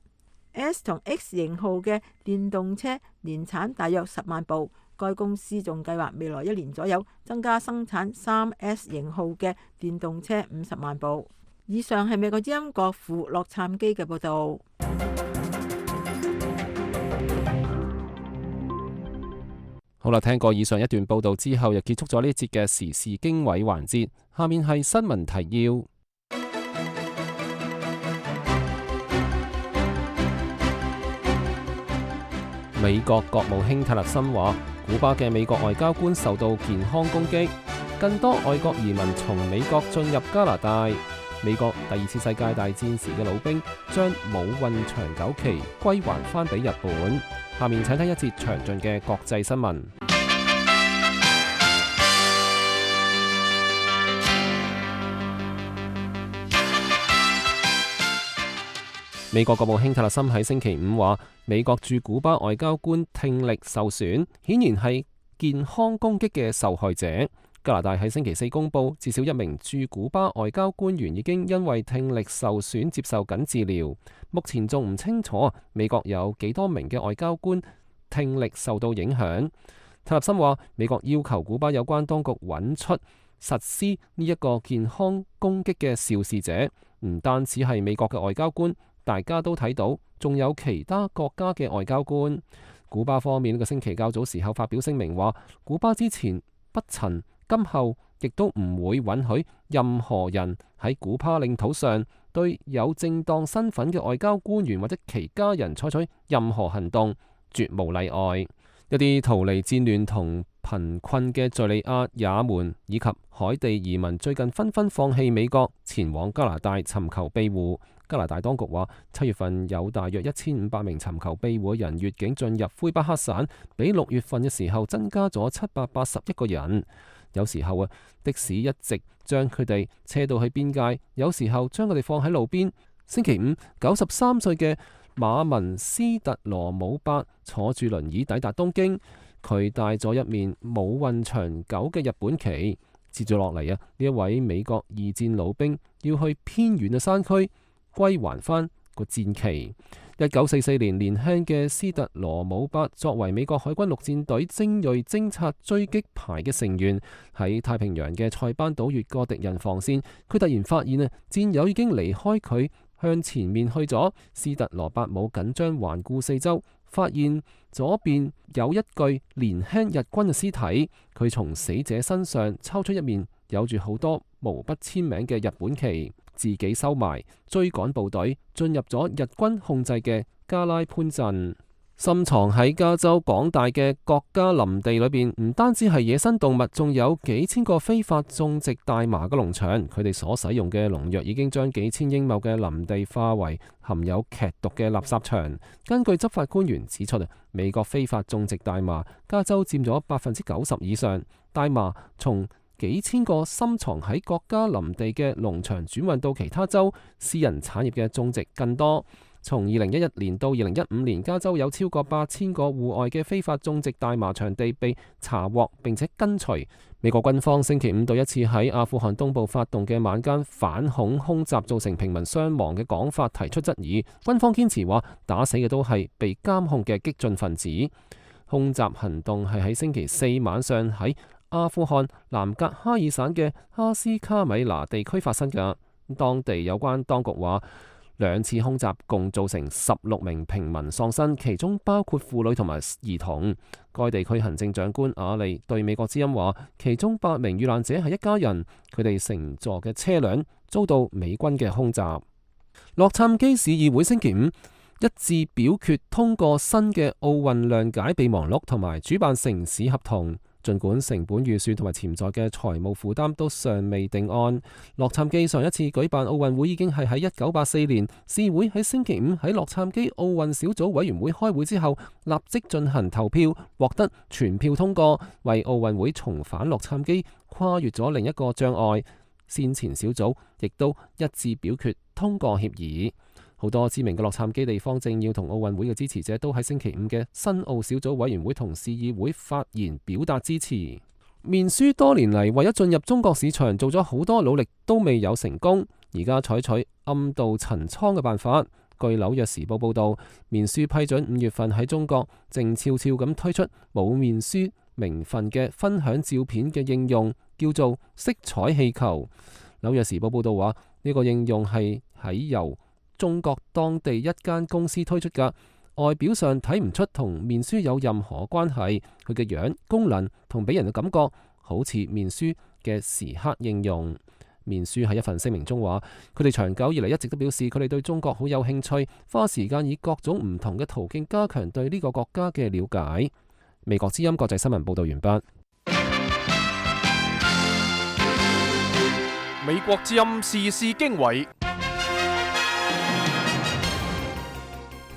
S 同 X 型號嘅電動車，年產大約十萬部。該公司仲計劃未來一年左右增加生產三 S 型號嘅電動車五十萬部。以上係美國之音國父洛杉磯嘅報道。
好啦，聽過以上一段報道之後，又結束咗呢一節嘅時事經緯環節。下面係新聞提要。美國國務卿泰勒森話，古巴嘅美國外交官受到健康攻擊。更多外國移民從美國進入加拿大。美國第二次世界大戰時嘅老兵將冇運長久期歸還翻俾日本。下面請睇一節詳盡嘅國際新聞。美國國務卿泰勒森喺星期五話，美國駐古巴外交官聽力受損，顯然係健康攻擊嘅受害者。加拿大喺星期四公布，至少一名駐古巴外交官員已經因為聽力受損接受緊治療。目前仲唔清楚美國有幾多名嘅外交官聽力受到影響。泰勒森話，美國要求古巴有關當局揾出實施呢一個健康攻擊嘅肇事者，唔單止係美國嘅外交官，大家都睇到，仲有其他國家嘅外交官。古巴方面呢個星期較早時候發表聲明話，古巴之前不曾，今後亦都唔會允許任何人喺古巴領土上對有正當身份嘅外交官員或者其家人採取任何行動，絕無例外。一啲逃離戰亂同貧困嘅敘利亞、也門以及海地移民最近紛紛放棄美國，前往加拿大尋求庇護。加拿大當局話，七月份有大約一千五百名尋求庇護嘅人越境進入魁北克省，比六月份嘅時候增加咗七百八十一個人。有時候啊，的士一直將佢哋車到去邊界，有時候將佢哋放喺路邊。星期五，九十三歲嘅馬文斯特羅姆伯坐住輪椅抵達東京，佢帶咗一面冇運長久嘅日本旗。接住落嚟啊，呢一位美國二戰老兵要去偏遠嘅山區歸還翻個戰旗。一九四四年，年輕嘅斯特羅姆伯作為美國海軍陸戰隊精銳偵察追擊排嘅成員，喺太平洋嘅塞班島越過敵人防線，佢突然發現啊，戰友已經離開佢，向前面去咗。斯特羅伯姆緊張環顧四周，發現左邊有一具年輕日軍嘅屍體，佢從死者身上抽出一面有住好多毛筆簽名嘅日本旗，自己收埋，追趕部隊進入咗日軍控制嘅加拉潘鎮。深藏喺加州廣大嘅國家林地裏邊，唔單止係野生動物，仲有幾千個非法種植大麻嘅農場。佢哋所使用嘅農藥已經將幾千英畝嘅林地化為含有劇毒嘅垃圾場。根據執法官員指出，美國非法種植大麻，加州佔咗百分之九十以上。大麻從幾千個深藏喺國家林地嘅農場轉運到其他州，私人產業嘅種植更多。從二零一一年到二零一五年，加州有超過八千個戶外嘅非法種植大麻場地被查獲並且根除。美國軍方星期五對一次喺阿富汗東部發動嘅晚間反恐空襲造成平民傷亡嘅講法提出質疑。軍方堅持話打死嘅都係被監控嘅激進分子。空襲行動係喺星期四晚上喺阿富汗南格哈爾省嘅哈斯卡米拿地區發生嘅。當地有關當局話，兩次空襲共造成十六名平民喪生，其中包括婦女同埋兒童。該地區行政長官阿利對美國之音話，其中八名遇難者係一家人，佢哋乘坐嘅車輛遭到美軍嘅空襲。洛杉磯市議會星期五一致表決通過新嘅奧運諒解備忘錄同埋主辦城市合同。儘管成本預算同埋潛在嘅財務負擔都尚未定案，洛杉磯上一次舉辦奧運會已經係喺一九八四年。市會喺星期五喺洛杉磯奧運小組委員會開會之後，立即進行投票，獲得全票通過，為奧運會重返洛杉磯跨越咗另一個障礙。先前小組亦都一致表決通過協議。好多知名嘅洛杉磯地方政要同奧運會嘅支持者都喺星期五嘅新奧小組委員會同市議會發言表達支持。面書多年嚟為咗進入中國市場做咗好多努力都未有成功，而家採取暗度陳倉嘅辦法。據紐約時報報道，面書批准五月份喺中國靜悄悄咁推出冇面書名分嘅分享照片嘅應用，叫做色彩氣球。紐約時報報道話，呢個應用係喺由中國當地一間公司推出㗎，外表上睇唔出同面書有任何關係，佢嘅樣、功能同俾人嘅感覺好似面書嘅時刻應用。面書喺一份聲明中話，佢哋長久以嚟一直都表示佢哋對中國好有興趣，花時間以各種唔同嘅途徑加強對呢個國家嘅了解。美國之音國際新聞報道完畢。
美國之音時事經緯。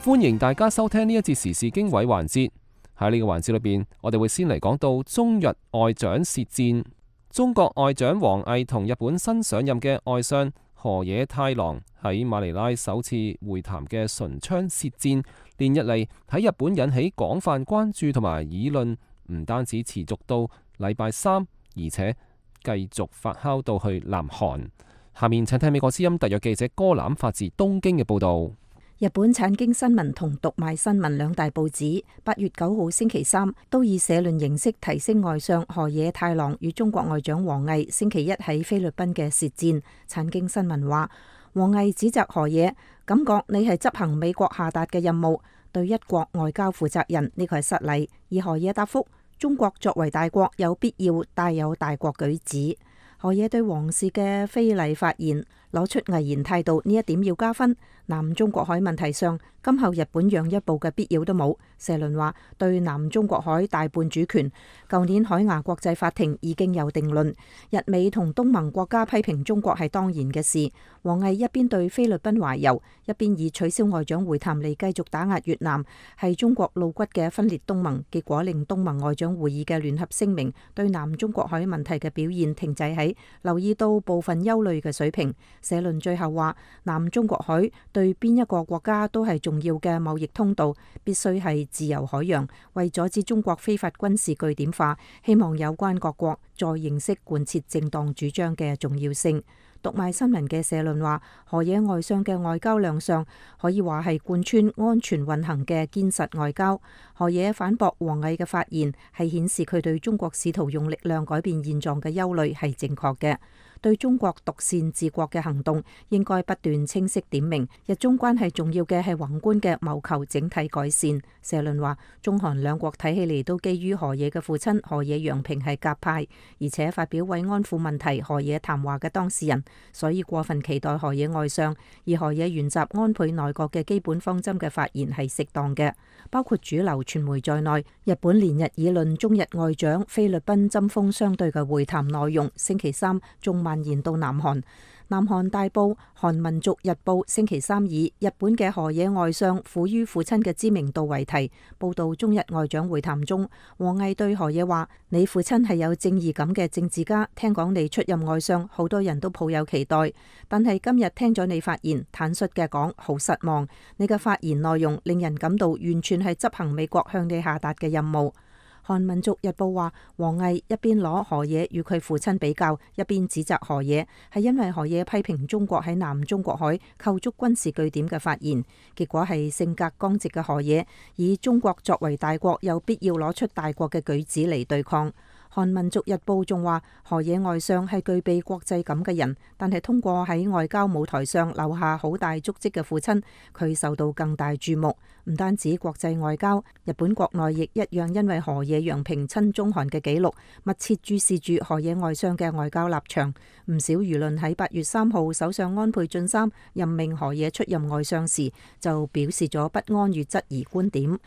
歡迎大家收聽呢一節時事經緯環節。喺呢個環節裏邊，我哋會先嚟講到中日外長舌戰。中國外長王毅同日本新上任嘅外相河野太郎喺馬尼拉首次會談嘅唇槍舌戰，連日嚟喺日本引起廣泛關注同埋議論，唔單止持續到禮拜三，而且繼續發酵到去南韓。下面請聽美國之音特約記者哥欖發自東京嘅報道。
日本產經新聞同讀賣新聞兩大報紙八月九號星期三都以社論形式提升外相河野太郎與中國外長王毅星期一喺菲律賓嘅舌戰。產經新聞話，王毅指責河野，感覺你係執行美國下達嘅任務，對一國外交負責任，呢個係失禮。而河野答覆，中國作為大國，有必要帶有大國舉止。河野對王氏嘅非禮發言攞出毅然態度，呢一點要加分。南中國海問題上，今後日本讓一步嘅必要都冇。社論話，對南中國海大半主權，舊年海牙國際法庭已經有定論。日美同東盟國家批評中國係當然嘅事。王毅一邊對菲律賓懷柔，一邊以取消外長會談嚟繼續打壓越南，係中國露骨嘅分裂東盟，結果令東盟外長會議嘅聯合聲明對南中國海問題嘅表現停滯喺留意到部分憂慮嘅水平。社論最後話，南中國海對邊一個國家都係重要嘅貿易通道，必須係自由海洋。為阻止中國非法軍事據點化，希望有關各國再認識貫徹正當主張嘅重要性。讀賣新聞嘅社論話，河野外相嘅外交亮相可以話係貫穿安全運行嘅堅實外交。河野反駁王毅嘅發言，係顯示佢對中國試圖用力量改變現狀嘅憂慮係正確嘅。對中國獨善治國嘅行動，應該不斷清晰點明，日中關係重要嘅係宏觀嘅謀求整體改善。社論話，中韓兩國睇起嚟都基於河野嘅父親河野洋平係鴿派，而且發表慰安婦問題河野談話嘅當事人，所以過分期待河野外相，而河野沿襲安倍內閣嘅基本方針嘅發言係適當嘅。包括主流傳媒在內，日本連日議論中日外長菲律賓針鋒相對嘅會談內容。星期三仲蔓延到南韓。南韓大報《韓民族日報》星期三以日本嘅河野外相苦於父親嘅知名度為題，報道中日外長會談中，王毅對河野話：你父親係有正義感嘅政治家，聽講你出任外相，好多人都抱有期待，但係今日聽咗你發言，坦率嘅講，好失望。你嘅發言內容令人感到完全係執行美國向你下達嘅任務。韓民族日報話，王毅一邊攞河野與佢父親比較，一邊指責河野，係因為河野批評中國喺南中國海構築軍事據點嘅發言，結果係性格剛直嘅河野以中國作為大國有必要攞出大國嘅舉止嚟對抗。韓民族日報仲話，河野外相係具備國際感嘅人，但係通過喺外交舞台上留下好大足跡嘅父親，佢受到更大注目。唔單止國際外交，日本國內亦一樣因為河野洋平親中韓嘅記錄，密切注視住河野外相嘅外交立場。唔少輿論喺八月三號首相安倍晉三任命河野出任外相時，就表示咗不安與質疑觀點。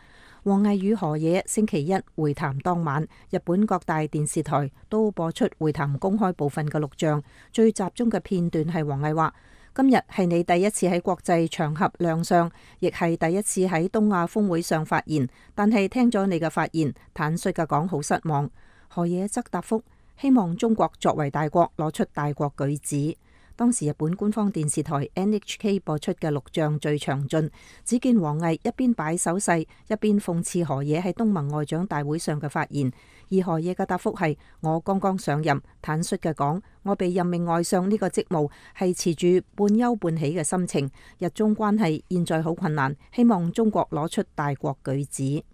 王毅與河野星期一會談當晚，日本各大電視台都播出會談公開部分嘅錄像，最集中嘅片段係王毅話：今日係你第一次喺國際場合亮相，亦係第一次喺東亞峰會上發言。但係聽咗你嘅發言，坦率嘅講好失望。河野則答覆：希望中國作為大國攞出大國舉止。當時日本官方電視台 N H K 播出嘅錄像最詳盡，只見王毅一邊擺手勢，一邊諷刺河野喺東盟外長大會上嘅發言。而河野嘅答覆係：我剛剛上任，坦率嘅講，我被任命外相呢個職務係持住半憂半喜嘅心情。日中關係現在好困難，希望中國攞出大國舉止。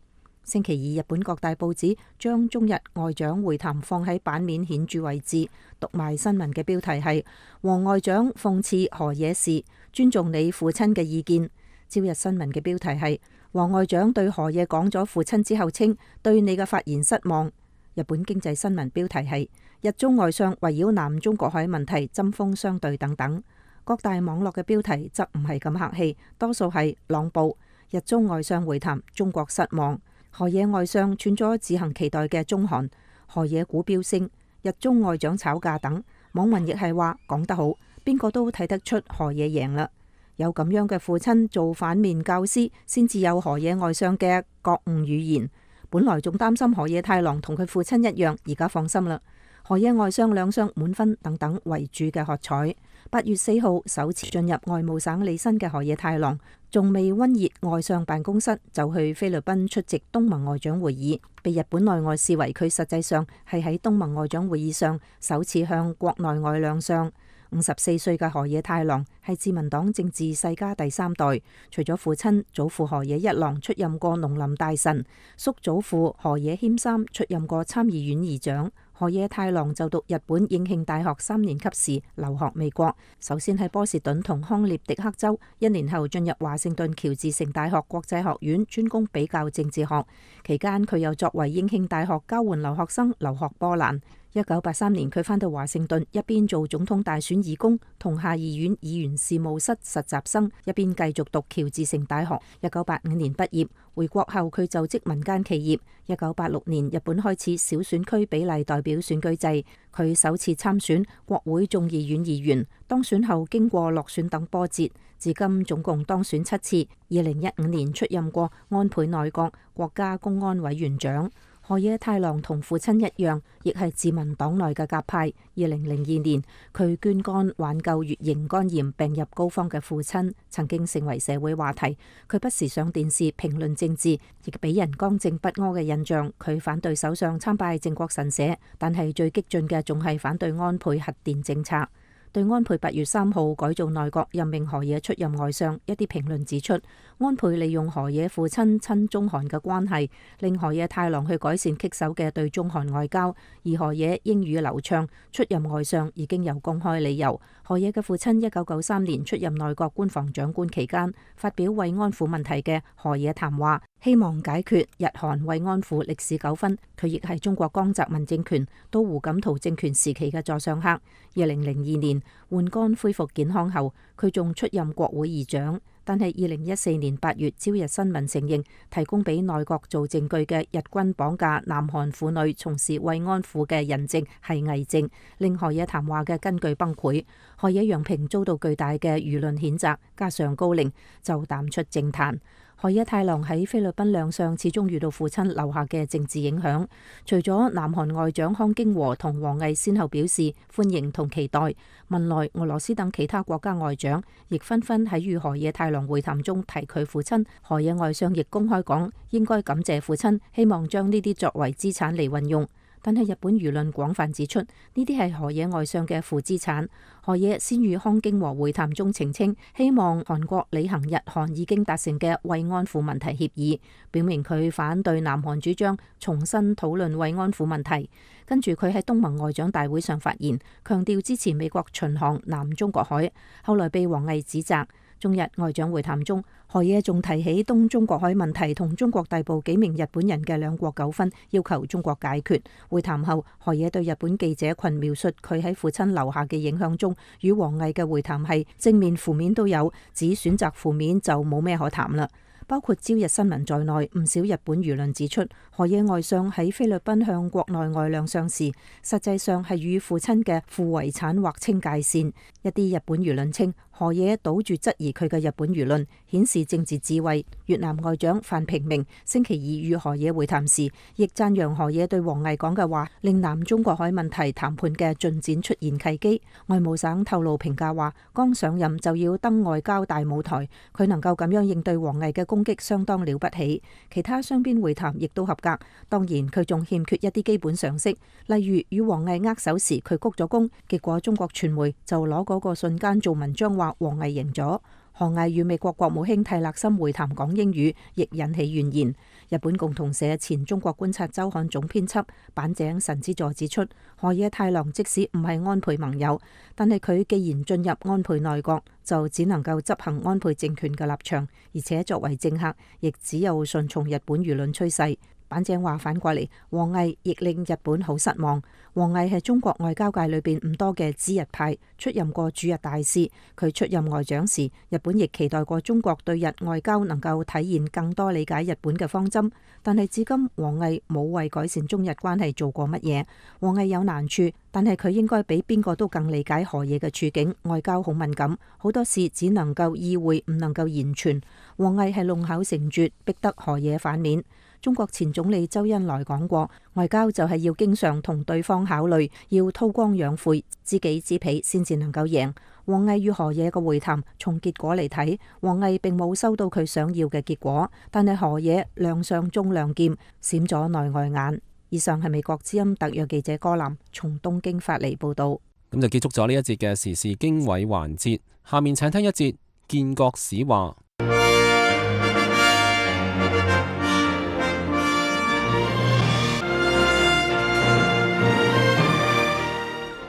星期二，日本各大報紙將中日外長會談放喺版面顯著位置。讀賣新聞嘅標題係：王外長諷刺河野氏，尊重你父親嘅意見。朝日新聞嘅標題係：王外長對河野講咗父親之後稱對你嘅發言失望。日本經濟新聞標題係：日中外相圍繞南中國海問題針鋒相對等等。各大網絡嘅標題則唔係咁客氣，多數係朗報日中外相會談，中國失望。河野外相串咗自行期待嘅中韓，河野股飆升，日中外長吵架等。網民亦係話講得好，邊個都睇得出河野贏啦。有咁樣嘅父親做反面教師，先至有河野外相嘅覺悟語言。本來仲擔心河野太郎同佢父親一樣，而家放心啦。河野外相兩相滿分等等為主嘅喝彩。八月四號首次進入外務省履新嘅河野太郎，仲未溫熱外相辦公室，就去菲律賓出席東盟外長會議，被日本內外視為佢實際上係喺東盟外長會議上首次向國內外亮相。五十四歲嘅河野太郎係自民黨政治世家第三代，除咗父親祖父河野一郎出任過農林大臣，叔祖父河野謙三出任過參議院議長。河野太郎就讀日本應慶大學三年級時留學美國，首先喺波士頓同康涅狄克州，一年後進入華盛頓喬治城大學國際學院專攻比較政治學，期間佢又作為應慶大學交換留學生留學波蘭。一九八三年佢返到華盛頓，一邊做總統大選義工同下議院議員事務室實習生，一邊繼續讀喬治城大學。一九八五年畢業，回國後佢就職民間企業。一九八六年日本開始小選區比例代表選舉制，佢首次參選國會眾議院議員，當選後經過落選等波折，至今總共當選七次。二零一五年出任過安倍內閣國家公安委員長。河野太郎同父親一樣，亦係自民黨內嘅鴿派。二零零二年，佢捐肝挽救乙型肝炎病入膏肓嘅父親，曾經成為社會話題。佢不時上電視評論政治，亦俾人剛正不阿嘅印象。佢反對首相參拜靖國神社，但係最激進嘅仲係反對安倍核電政策。對安倍八月三號改造內閣任命河野出任外相，一啲評論指出，安倍利用河野父親親中韓嘅關係，令河野太郎去改善棘手嘅對中韓外交，而河野英語流暢，出任外相已經有公開理由。河野嘅父親一九九三年出任內閣官房長官期間，發表慰安婦問題嘅河野談話，希望解決日韓慰安婦歷史糾紛。佢亦係中國江澤民政權到胡錦濤政權時期嘅座上客。二零零二年換肝恢復健康後，佢仲出任國會議長。但係二零一四年八月，朝日新聞承認提供俾內閣做證據嘅日軍綁架南韓婦女從事慰安婦嘅人證係偽證，令河野談話嘅根據崩潰。河野洋平遭到巨大嘅輿論譴責，加上高齡就淡出政壇。河野太郎喺菲律賓亮相，始終遇到父親留下嘅政治影響。除咗南韓外長康京和同王毅先後表示歡迎同期待，文萊、俄羅斯等其他國家外長亦紛紛喺與河野太郎會談中提佢父親。河野外相亦公開講應該感謝父親，希望將呢啲作為資產嚟運用。但係日本輿論廣泛指出，呢啲係河野外相嘅負資產。河野先與康京和會談中澄清，希望韓國履行日韓已經達成嘅慰安婦問題協議，表明佢反對南韓主張重新討論慰安婦問題。跟住佢喺東盟外長大會上發言，強調支持美國巡航南中國海，後來被王毅指責。中日外長會談中，河野仲提起東中國海問題同中國大部幾名日本人嘅兩國糾紛，要求中國解決。會談後，河野對日本記者群描述佢喺父親留下嘅影響中，與王毅嘅會談係正面負面都有，只選擇負面就冇咩可談啦。包括朝日新聞在內，唔少日本輿論指出，河野外相喺菲律賓向國內外亮相時，實際上係與父親嘅負遺產劃清界線。一啲日本輿論稱，河野倒住質疑佢嘅日本輿論，顯示政治智慧。越南外長范平明星期二與河野會談時，亦讚揚河野對王毅講嘅話，令南中國海問題談判嘅進展出現契機。外務省透露評價話，剛上任就要登外交大舞台，佢能夠咁樣應對王毅嘅攻擊相當了不起。其他雙邊會談亦都合格，當然佢仲欠缺一啲基本常識，例如與王毅握手時佢鞠咗躬，結果中國傳媒就攞嗰個瞬間做文章話王毅贏咗。河毅與美國國務卿泰勒森會談講英語，亦引起怨言。日本共同社前中國觀察週刊總編輯板井神之助指出，河野太郎即使唔係安倍盟友，但係佢既然進入安倍內閣，就只能夠執行安倍政權嘅立場，而且作為政客，亦只有順從日本輿論趨勢。板井話反過嚟，王毅亦令日本好失望。王毅係中國外交界裏邊唔多嘅知日派，出任過駐日大使。佢出任外長時，日本亦期待過中國對日外交能夠體現更多理解日本嘅方針。但係至今，王毅冇為改善中日關係做過乜嘢。王毅有難處，但係佢應該比邊個都更理解河野嘅處境。外交好敏感，好多事只能夠意會，唔能夠言傳。王毅係弄巧成拙，逼得河野反面。中國前總理周恩來講過，外交就係要經常同對方考慮，要韜光養晦，知己知彼，先至能夠贏。王毅與河野嘅會談，從結果嚟睇，王毅並冇收到佢想要嘅結果，但係河野亮相中亮劍，閃咗內外眼。以上係美國之音特約記者柯南從東京發嚟報道。
咁就結束咗呢一節嘅時事經緯環節，下面請聽一節建國史話。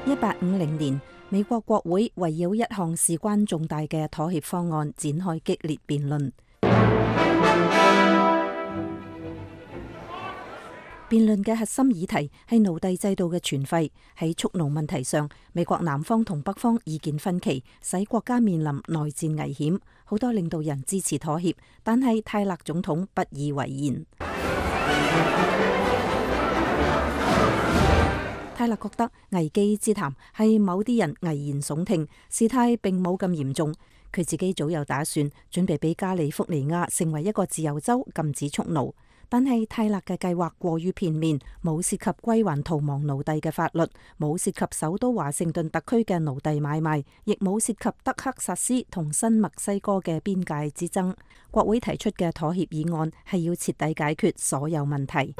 一八五零年，美國國會圍繞一項事關重大嘅妥協方案展開激烈辯論。辯論嘅核心議題係奴隸制度嘅存廢。喺蓄奴問題上，美國南方同北方意見分歧，使國家面臨內戰危險。好多領導人支持妥協，但係泰勒總統不以為然。泰勒覺得危機之談係某啲人危言聳聽，事態並冇咁嚴重。佢自己早有打算，準備俾加利福尼亞成為一個自由州，禁止蓄奴。但係泰勒嘅計劃過於片面，冇涉及歸還逃亡奴隸嘅法律，冇涉及首都華盛頓特區嘅奴隸買賣，亦冇涉及德克薩斯同新墨西哥嘅邊界之爭。國會提出嘅妥協議案係要徹底解決所有問題。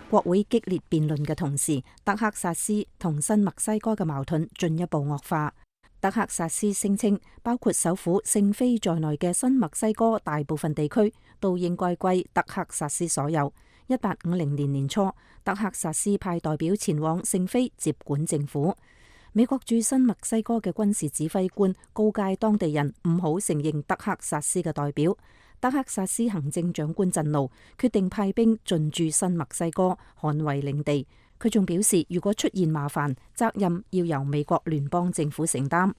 國會激烈辯論嘅同時，德克薩斯同新墨西哥嘅矛盾進一步惡化。德克薩斯聲稱，包括首府聖菲在內嘅新墨西哥大部分地區都應該歸德克薩斯所有。一八五零年年初，德克薩斯派代表前往聖菲接管政府。美國駐新墨西哥嘅軍事指揮官告誡當地人唔好承認德克薩斯嘅代表。德克薩斯行政長官震怒，決定派兵進駐新墨西哥，捍衛領地。佢仲表示，如果出現麻煩，責任要由美國聯邦政府承擔。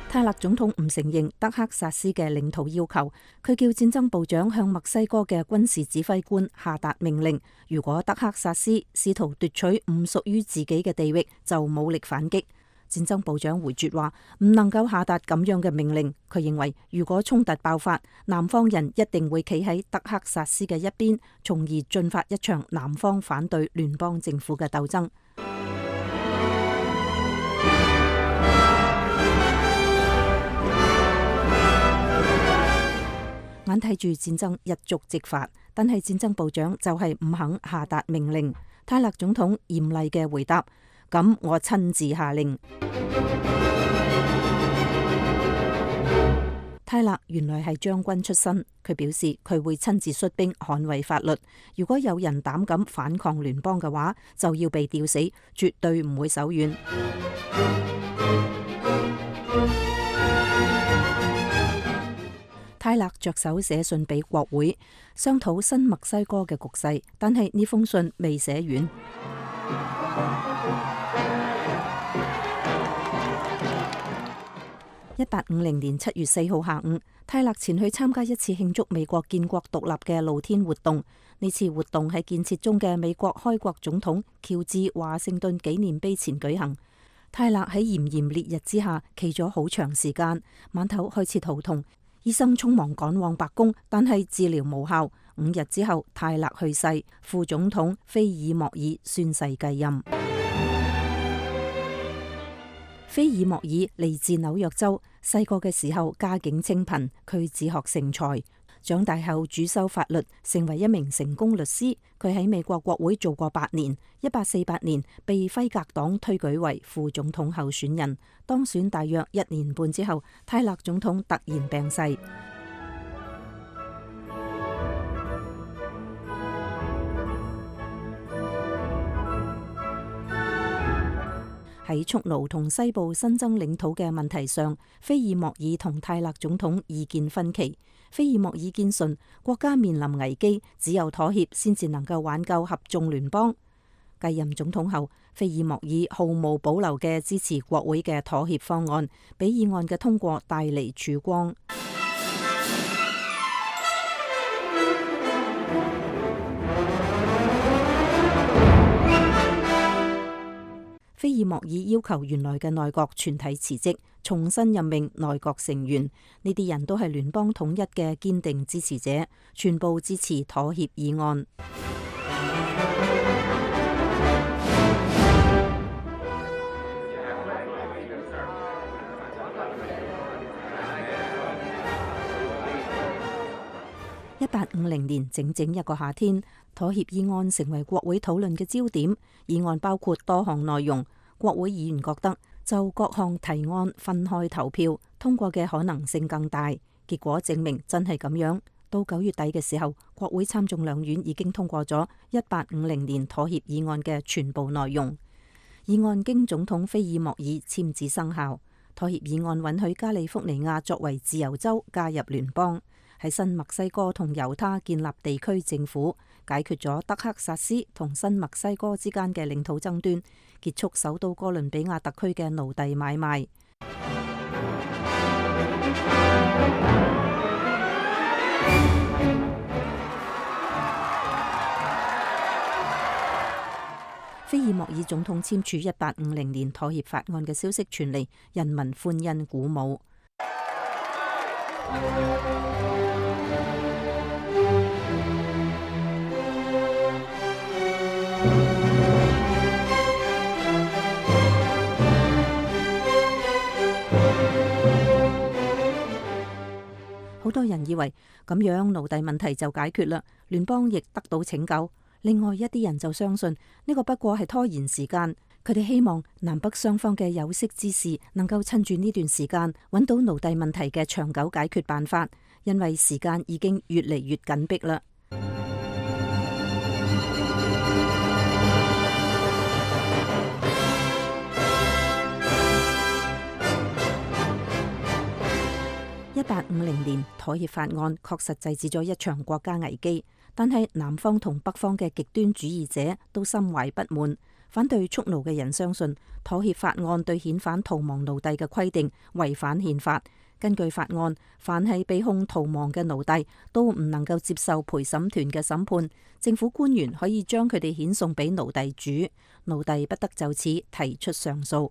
泰勒總統唔承認德克薩斯嘅領土要求，佢叫戰爭部長向墨西哥嘅軍事指揮官下達命令，如果德克薩斯試圖奪取唔屬於自己嘅地域，就武力反擊。戰爭部長回絕話唔能夠下達咁樣嘅命令。佢認為如果衝突爆發，南方人一定會企喺德克薩斯嘅一邊，從而進發一場南方反對聯邦政府嘅鬥爭。眼睇住戰爭一觸即發，但係戰爭部長就係唔肯下達命令。泰勒總統嚴厲嘅回答：咁我親自下令。泰勒原來係將軍出身，佢表示佢會親自率兵捍衛法律。如果有人膽敢反抗聯邦嘅話，就要被吊死，絕對唔會手軟。泰勒着手寫信俾國會，商討新墨西哥嘅局勢，但係呢封信未寫完。一八五零年七月四號下午，泰勒前去參加一次慶祝美國建國獨立嘅露天活動。呢次活動喺建設中嘅美國開國總統喬治華盛頓紀念碑前舉行。泰勒喺炎炎烈日之下企咗好長時間，晚頭開始肚痛，醫生匆忙趕往白宮，但係治療無效。五日之後，泰勒去世，副總統菲爾莫爾宣誓繼任。菲爾莫爾嚟自紐約州，細個嘅時候家境清貧，佢自學成才。長大後主修法律，成為一名成功律師。佢喺美國國會做過八年。一八四八年被輝格黨推舉為副總統候選人，當選大約一年半之後，泰勒總統突然病逝。喺蓄奴同西部新增領土嘅問題上，菲爾莫爾同泰勒總統意見分歧。菲爾莫爾堅信國家面臨危機，只有妥協先至能夠挽救合眾聯邦。繼任總統後，菲爾莫爾毫無保留嘅支持國會嘅妥協方案，俾議案嘅通過帶嚟曙光。菲爾莫爾要求原來嘅內閣全體辭職，重新任命內閣成員。呢啲人都係聯邦統一嘅堅定支持者，全部支持妥協議案。一八五零年，整整一個夏天，妥協議案成為國會討論嘅焦點。議案包括多項內容，國會議員覺得就各項提案分開投票，通過嘅可能性更大。結果證明真係咁樣。到九月底嘅時候，國會參眾兩院已經通過咗一八五零年妥協議案嘅全部內容。議案經總統菲爾莫爾簽字生效。妥協議案允許加利福尼亞作為自由州加入聯邦。喺新墨西哥同猶他建立地區政府，解決咗德克薩斯同新墨西哥之間嘅領土爭端，結束首都哥倫比亞特區嘅奴隸買賣。菲爾莫爾總統簽署一八五零年妥協法案嘅消息傳嚟，人民歡欣鼓舞。好多人以為咁樣奴隸問題就解決啦，聯邦亦得到拯救。另外一啲人就相信呢個不過係拖延時間，佢哋希望南北雙方嘅有識之士能夠趁住呢段時間揾到奴隸問題嘅長久解決辦法，因為時間已經越嚟越緊迫啦。一八五零年妥協法案確實制止咗一場國家危機，但係南方同北方嘅極端主義者都心懷不滿。反對蓄奴嘅人相信妥協法案對遣返逃亡奴隸嘅規定違反憲法。根據法案，凡係被控逃亡嘅奴隸都唔能夠接受陪審團嘅審判，政府官員可以將佢哋遣送俾奴隸主，奴隸不得就此提出上訴。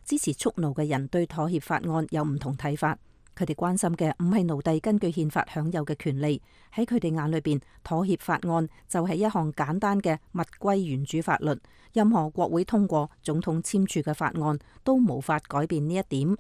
支持蓄奴嘅人對妥協法案有唔同睇法。佢哋關心嘅唔係奴隸根據憲法享有嘅權利，喺佢哋眼裏邊，妥協法案就係一項簡單嘅物歸原主法律。任何國會通過、總統簽署嘅法案都無法改變呢一點。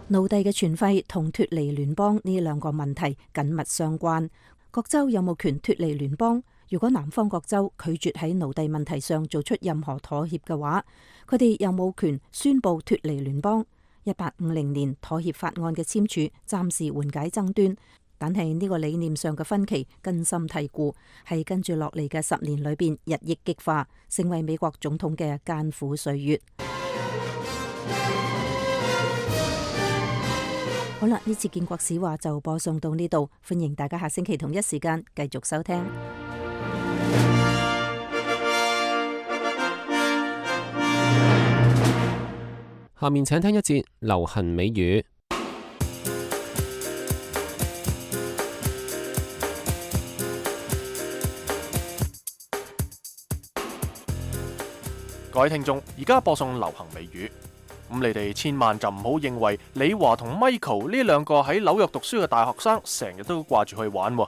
奴隸嘅存廢同脫離聯邦呢兩個問題緊密相關。各州有冇權脫離聯邦？如果南方各州拒絕喺奴隸問題上做出任何妥協嘅話，佢哋有冇權宣布脫離聯邦？一八五零年妥協法案嘅簽署暫時緩解爭端，但係呢個理念上嘅分歧根深蒂固，係跟住落嚟嘅十年裏邊日益激化，成為美國總統嘅艱苦歲月。好啦，呢次建國史話就播送到呢度，歡迎大家下星期同一時間繼續收聽。
下面請聽一節流行美語。
各位聽眾，而家播送流行美語。咁你哋千萬就唔好認為李華同 Michael 呢兩個喺紐約讀書嘅大學生成日都掛住去玩。咁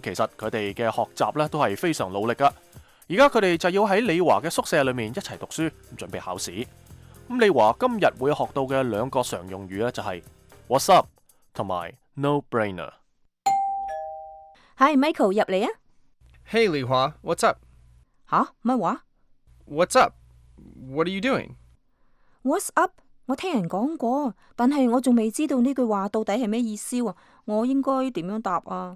其實佢哋嘅學習呢都係非常努力噶。而家佢哋就要喺李華嘅宿舍裏面一齊讀書，準備考試。咁李華今日會學到嘅兩個常用語呢，就係 What's up 同埋 No brainer。Hi
Michael 入嚟啊。
Hey 李華 ，What's up？
吓？乜話
？What's up？What are you doing？What's
up？ 我聽人講過，但係我仲未知道呢句話到底係咩意思喎。我應該點樣答啊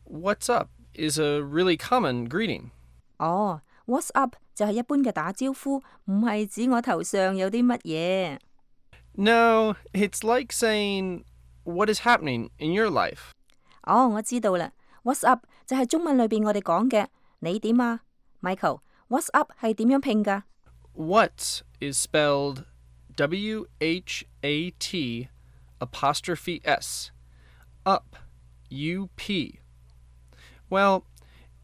？What's up is a really common greeting.
哦 ，What's up 就係一般嘅打招呼，唔係指我頭上有啲乜嘢。
No, it's like saying what is happening in your life.
哦，我知道啦。What's up 就係中文裏邊我哋講嘅你點啊 ，Michael。What's up 係點樣拼噶
？What is spelled W H A T apostrophe S, up, U P. Well,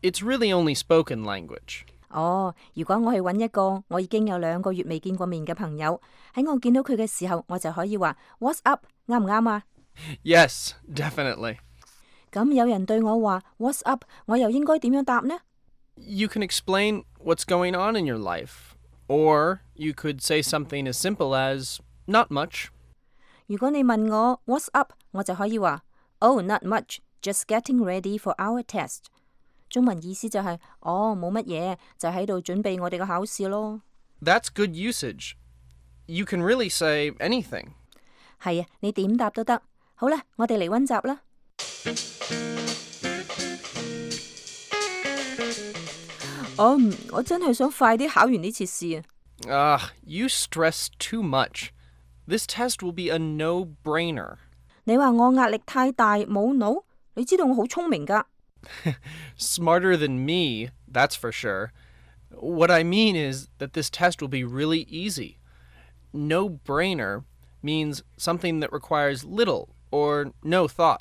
it's really only spoken language.
哦，如果我去揾一個我已經有兩個月未見過面嘅朋友，喺我見到佢嘅時候，我就可以話 What's up， 啱唔啱啊
？Yes, definitely.
咁有人對我話 What's up， 我又應該點樣答呢？
You can explain what's going on in your life, or you could say something as simple as not much.
如果你問我 What's up， 我就可以話 Oh, not much, just getting ready for our test. 中文意思就係、是、哦冇乜嘢，就喺度準備我哋嘅考試咯。
That's good usage. You can really say anything.
係啊，你點答都得。好啦，我哋嚟溫習啦。哦、um, 我真係想快啲考完呢次試
啊。Ah, you stress too much. This test will be a no-brainer.
你話我壓力太大冇腦？你知道我好聰明㗎。
Smarter than me, that's for sure. What I mean is that this test will be really easy. No-brainer means something that requires little or no thought.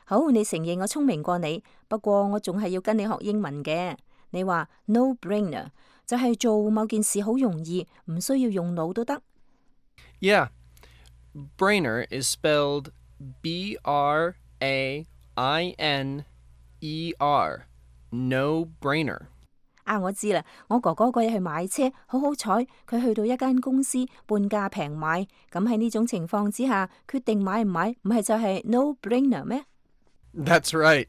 好，你承認我聰明過你，不過我仲係要跟你學英文嘅。你話 no-brainer 就係做某件事好容易，唔需要用腦都得。
Yeah, brainer is spelled B R A I N E R, no-brainer.
啊，我知啦，我哥哥嗰日去買車，好好彩，佢去到一間公司半價平買，咁喺呢種情況之下，決定買唔買，唔係就係 no-brainer 咩？
That's right.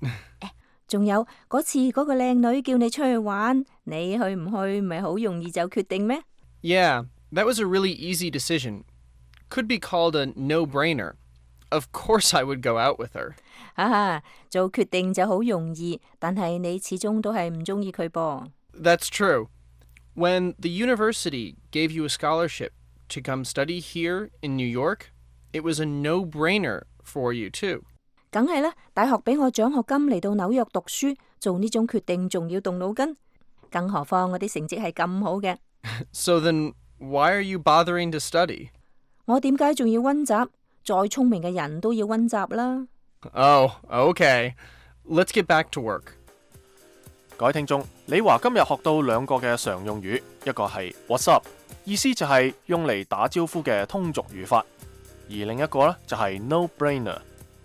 仲有嗰次嗰個靚女叫你出去玩，你去唔去咪好容易就決定咩？
Yeah, that was a really easy decision. Could be called a no-brainer. Of course I would go out with her.
啊，做決定就好容易，但係你始終都係唔中意佢噃。
That's true. When the university gave you a scholarship to come study here in New York, it was a no-brainer for you too.
梗係啦，大學俾我獎學金嚟到紐約讀書，做呢種決定仲要動腦筋，更何況我啲成績係咁好嘅。
So then, why are you bothering to study?
我點解仲要溫習？再聰明嘅人都要溫習啦。
Oh, okay. Let's get back to work.
各位聽眾，李華今日學到兩個嘅常用語，一個係 What's up， 意思就係用嚟打招呼嘅通俗語法，而另一個呢就係 no-brainer，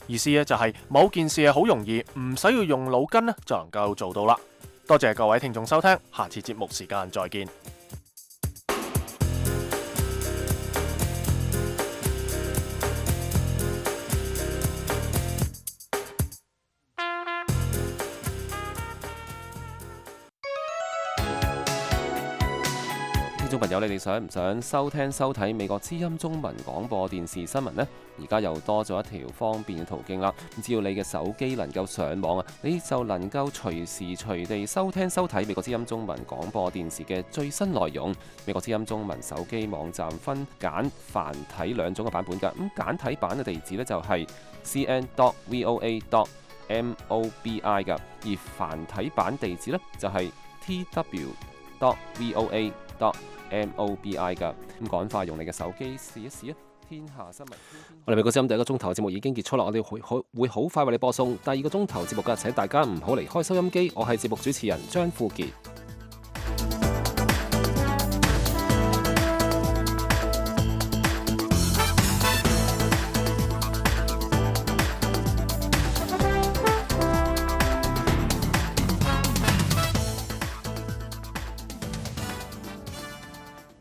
意思咧就係某件事係好容易，唔使要用腦筋咧就能夠做到啦。多謝各位聽眾收聽，下次節目時間再見。
友，你哋想唔想收聽收睇美國之音中文廣播電視新聞呢？而家又多咗一條方便嘅途徑啦。只要你嘅手機能夠上網啊，你就能夠隨時隨地收聽收睇美國之音中文廣播電視嘅最新內容。美國之音中文手機網站分簡繁體兩種嘅版本㗎。咁簡體版嘅地址呢，就係 c n dot voa dot mobi 㗎，而繁體版地址呢，就係 t w dot voa dot mobi 㗎。咁趕快用你嘅手機試一試啊！天下新聞，我哋美國之音第一個鐘頭節目已經結束啦，我哋會好會好快為你播送第二個鐘頭節目㗎，請大家唔好離開收音機。我係節目主持人張富傑。